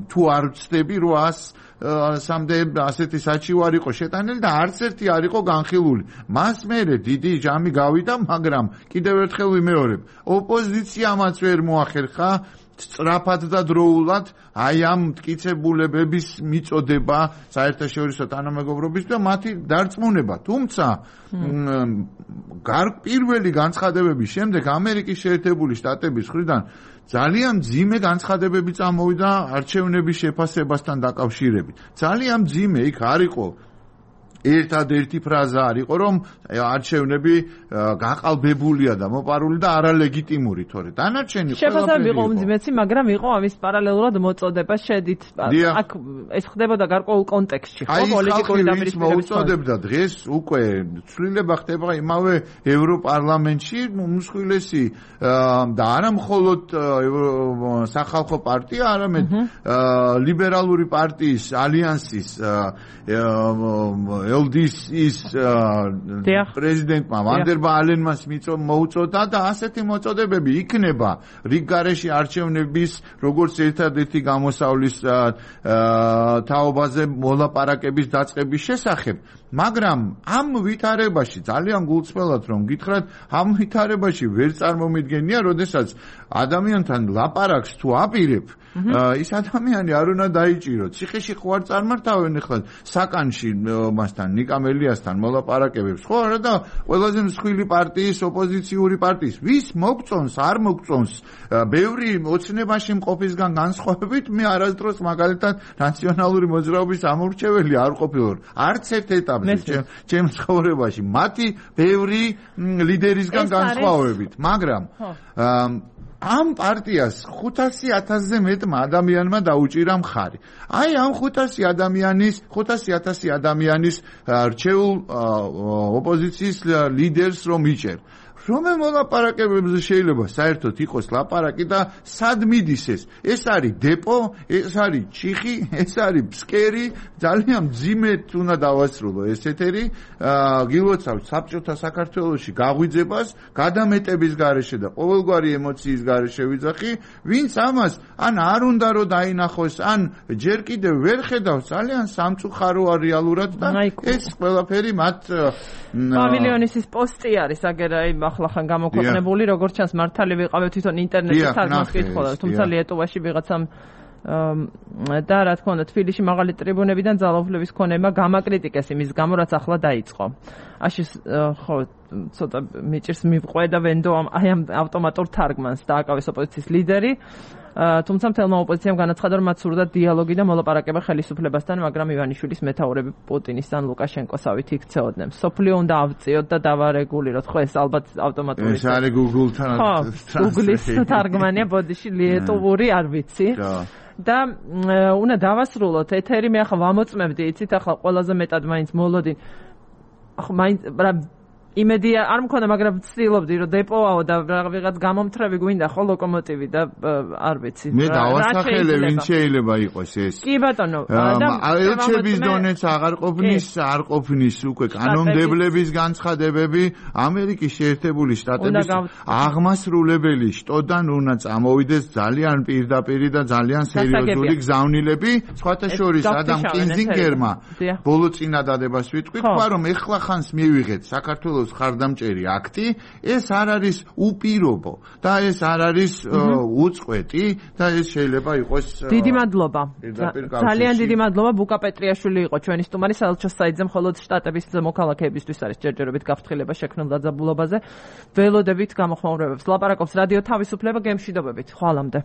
თუ არ ვცდები 800-მდე ასეთი საჩივარი იყო შეტანილი და არც ერთი არ იყო განხილული. მას მერე დიდი ჯამი გავიდა, მაგრამ კიდევ ერთხელ ვიმეორებ, ოპოზიციამაც ვერ მოახერხა სწრაფად და დროულად აი ამ მტკიცებულებების მიწოდება საერთაშორისო თანამეგობრობის და მათი დარწმუნება. თუმცა პირველი განცხადებების შემდეგ ამერიკის შეერთებული შტატების მხრიდან ძალიან მძიმე განცხადებები წამოვიდა არჩევნების შეფასებასთან დაკავშირებით. ძალიან მძიმე იქ არ იყო ერთადერთი ფრაზა არ იყო, რომ არჩევნები გაყალბებულია და მოპარული და არალეგიტიმური, თორე დანარჩენი შეფასებები იყო უმძიმესი, მაგრამ იყო ამის პარალელურად მოწოდება შედით. აქ ეს ხდებოდა გარკვეულ კონტექსტში, ხო, პოლიტიკური დაპირისპირების. მოწოდებდა დღეს უკვე ცვლილება ხდება იმავე ევროპარლამენტში, უმსხვილესი და არა მხოლოდ სახალხო პარტია, არამედ ლიბერალური პარტიის ალიანსის LDC-ის პრეზიდენტმა ვანდერ ბალენმას მოუწოდა და ასეთი მოწოდებები იქნება რიგ გარეშე არჩევნების როგორც ერთადერთი გამოსავლის თაობაზე მოლაპარაკების დაწყების შესახებ. მაგრამ ამ ვითარებაში ძალიან გულწრფელად რომ გითხრათ, ამ ვითარებაში ვერ წარმომიდგენია, როდესაც ადამიანთან ლაპარაკს თუ აპირებ, ის ადამიანი არ უნდა დაიჭიროთ. ციხეში ხო არ წარმართავენ ახლა საკანში მასთან ნიკამელიასთან მოლაპარაკებებს, ხო არა და ყველაზე მსხვილი პარტიის, ოპოზიციური პარტიის ვის მოგწონს, არ მოგწონს, ბევრი ოცნებაში მყოფისგან განსხვავებით მე არასდროს მაგალითად ნაციონალური მოძრაობის ამორჩეველი არ ყოფილვარ. არც ერთ ეტაპზე ჩემს ცხოვრებაში მათი ბევრი ლიდერისგან განსხვავებით, მაგრამ ამ პარტიას 500,000-ზე მეტმა ადამიანმა დაუჭირა მხარი. აი ამ 500,000 ადამიანის რჩეულ ოპოზიციის ლიდერს რომ იჭერ. რომელ მოლაპარაკებებზე შეიძლება საერთოდ იყოს ლაპარაკი და სად მიდის ეს? ეს არის დეპო, ეს არის ჩიხი, ეს არის ფსკერი, ძალიან მძიმედ უნდა დავასრულო ეს ეთერი. გილოცავთ საბჭოთა საქართველოში გაღვიძებას, გადამეტების გარეშე და ყოველგვარი ემოციის გარეშე ვიძახი, ვინც ამას ან არ უნდა რომ დაინახოს, ან ჯერ კიდევ ვერ ხედავს, ძალიან სამწუხაროა რეალურად და ეს ყველაფერი მათ პავილიონის პოსტი არის აგერაი ახლა გამოქვეყნებული, როგორც ჩანს მართალი ვიყავი თვითონ ინტერნეტში თარგმანს კითხულობ, თუმცა ლიეტუვაში ვიღაცამ და რა თქმა უნდა თბილისში მაღალი ტრიბუნებიდან ძალაუფლების ქონებმა გამაკრიტიკეს იმის გამო, რაც ახლა დაიწყო. აში ხო ცოტა მიჭირს მივყვე და ვენდო აი ამ ავტომატურ თარგმანს დააკავეს ოპოზიციის ლიდერი. თუმცა მთელმა ოპოზიციამ განაცხადა, რომ მათ სურდათ დიალოგი და მოლაპარაკება ხელისუფლებასთან, მაგრამ ივანიშვილის მეთაურები პუტინის ან ლუკაშენკოსავით იქცეოდნენ. სოფლიო უნდა ავწიოთ და დავარეგულიროთ. ხო, ეს ალბათ ავტომატური. ეს არის Google-თან. Google-ის თარგმანია ბოდიში ლიეტუვური, არ ვიცი. და უნდა დავასრულოთ ეთერი, მე ახლა ვამოწმებდი, იცით, ახლა ყველაზე მეტად მაინც მოლოდინ. ახლა მაინც იმედი არ მქონდა, მაგრამ ვცდილობდი რომ დეპოაო და ვიღაც გამომთრევი გვინდა ხო ლოკომოტივი და არ ვიცი. მე დავასახელე ვინ შეიძლება იყოს ეს. კი ბატონო, და ელჩების დონეც აღარ ყოფნის, არ ყოფნის უკვე კანონმდებლების განცხადებები ამერიკის შეერთებული შტატების აღმასრულებელი შტოდან უნდა წამოვიდეს ძალიან პირდაპირი და ძალიან სერიოზული გზავნილები, სხვათა შორის ადამ კინზინგერმა ბოლო წინადადებას ვიტყვი, თქვა რომ ეხლა ხანს მივიღეთ საქართველოს ხარდამჭერი აქტი, ეს არ არის უპირობო და ეს არ არის უწყვეტი და ეს შეიძლება იყოს დიდი მადლობა. ძალიან დიდი მადლობა. ბუკა პეტრიაშვილი იყო ჩვენი სტუმარი, საელჩო საიტზე მხოლოდ შტატების მოქალაქეებისთვის არის ჯერჯერობით გაფრთხილება შექმნილ დაძაბულობაზე. ველოდებით გამოხმაურებებს ლაპარაკობს რადიო თავისუფლება, გემშვიდობებით. ხვალამდე.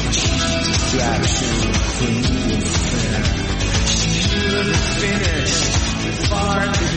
like cheap distraction for you and fair. She should have finished far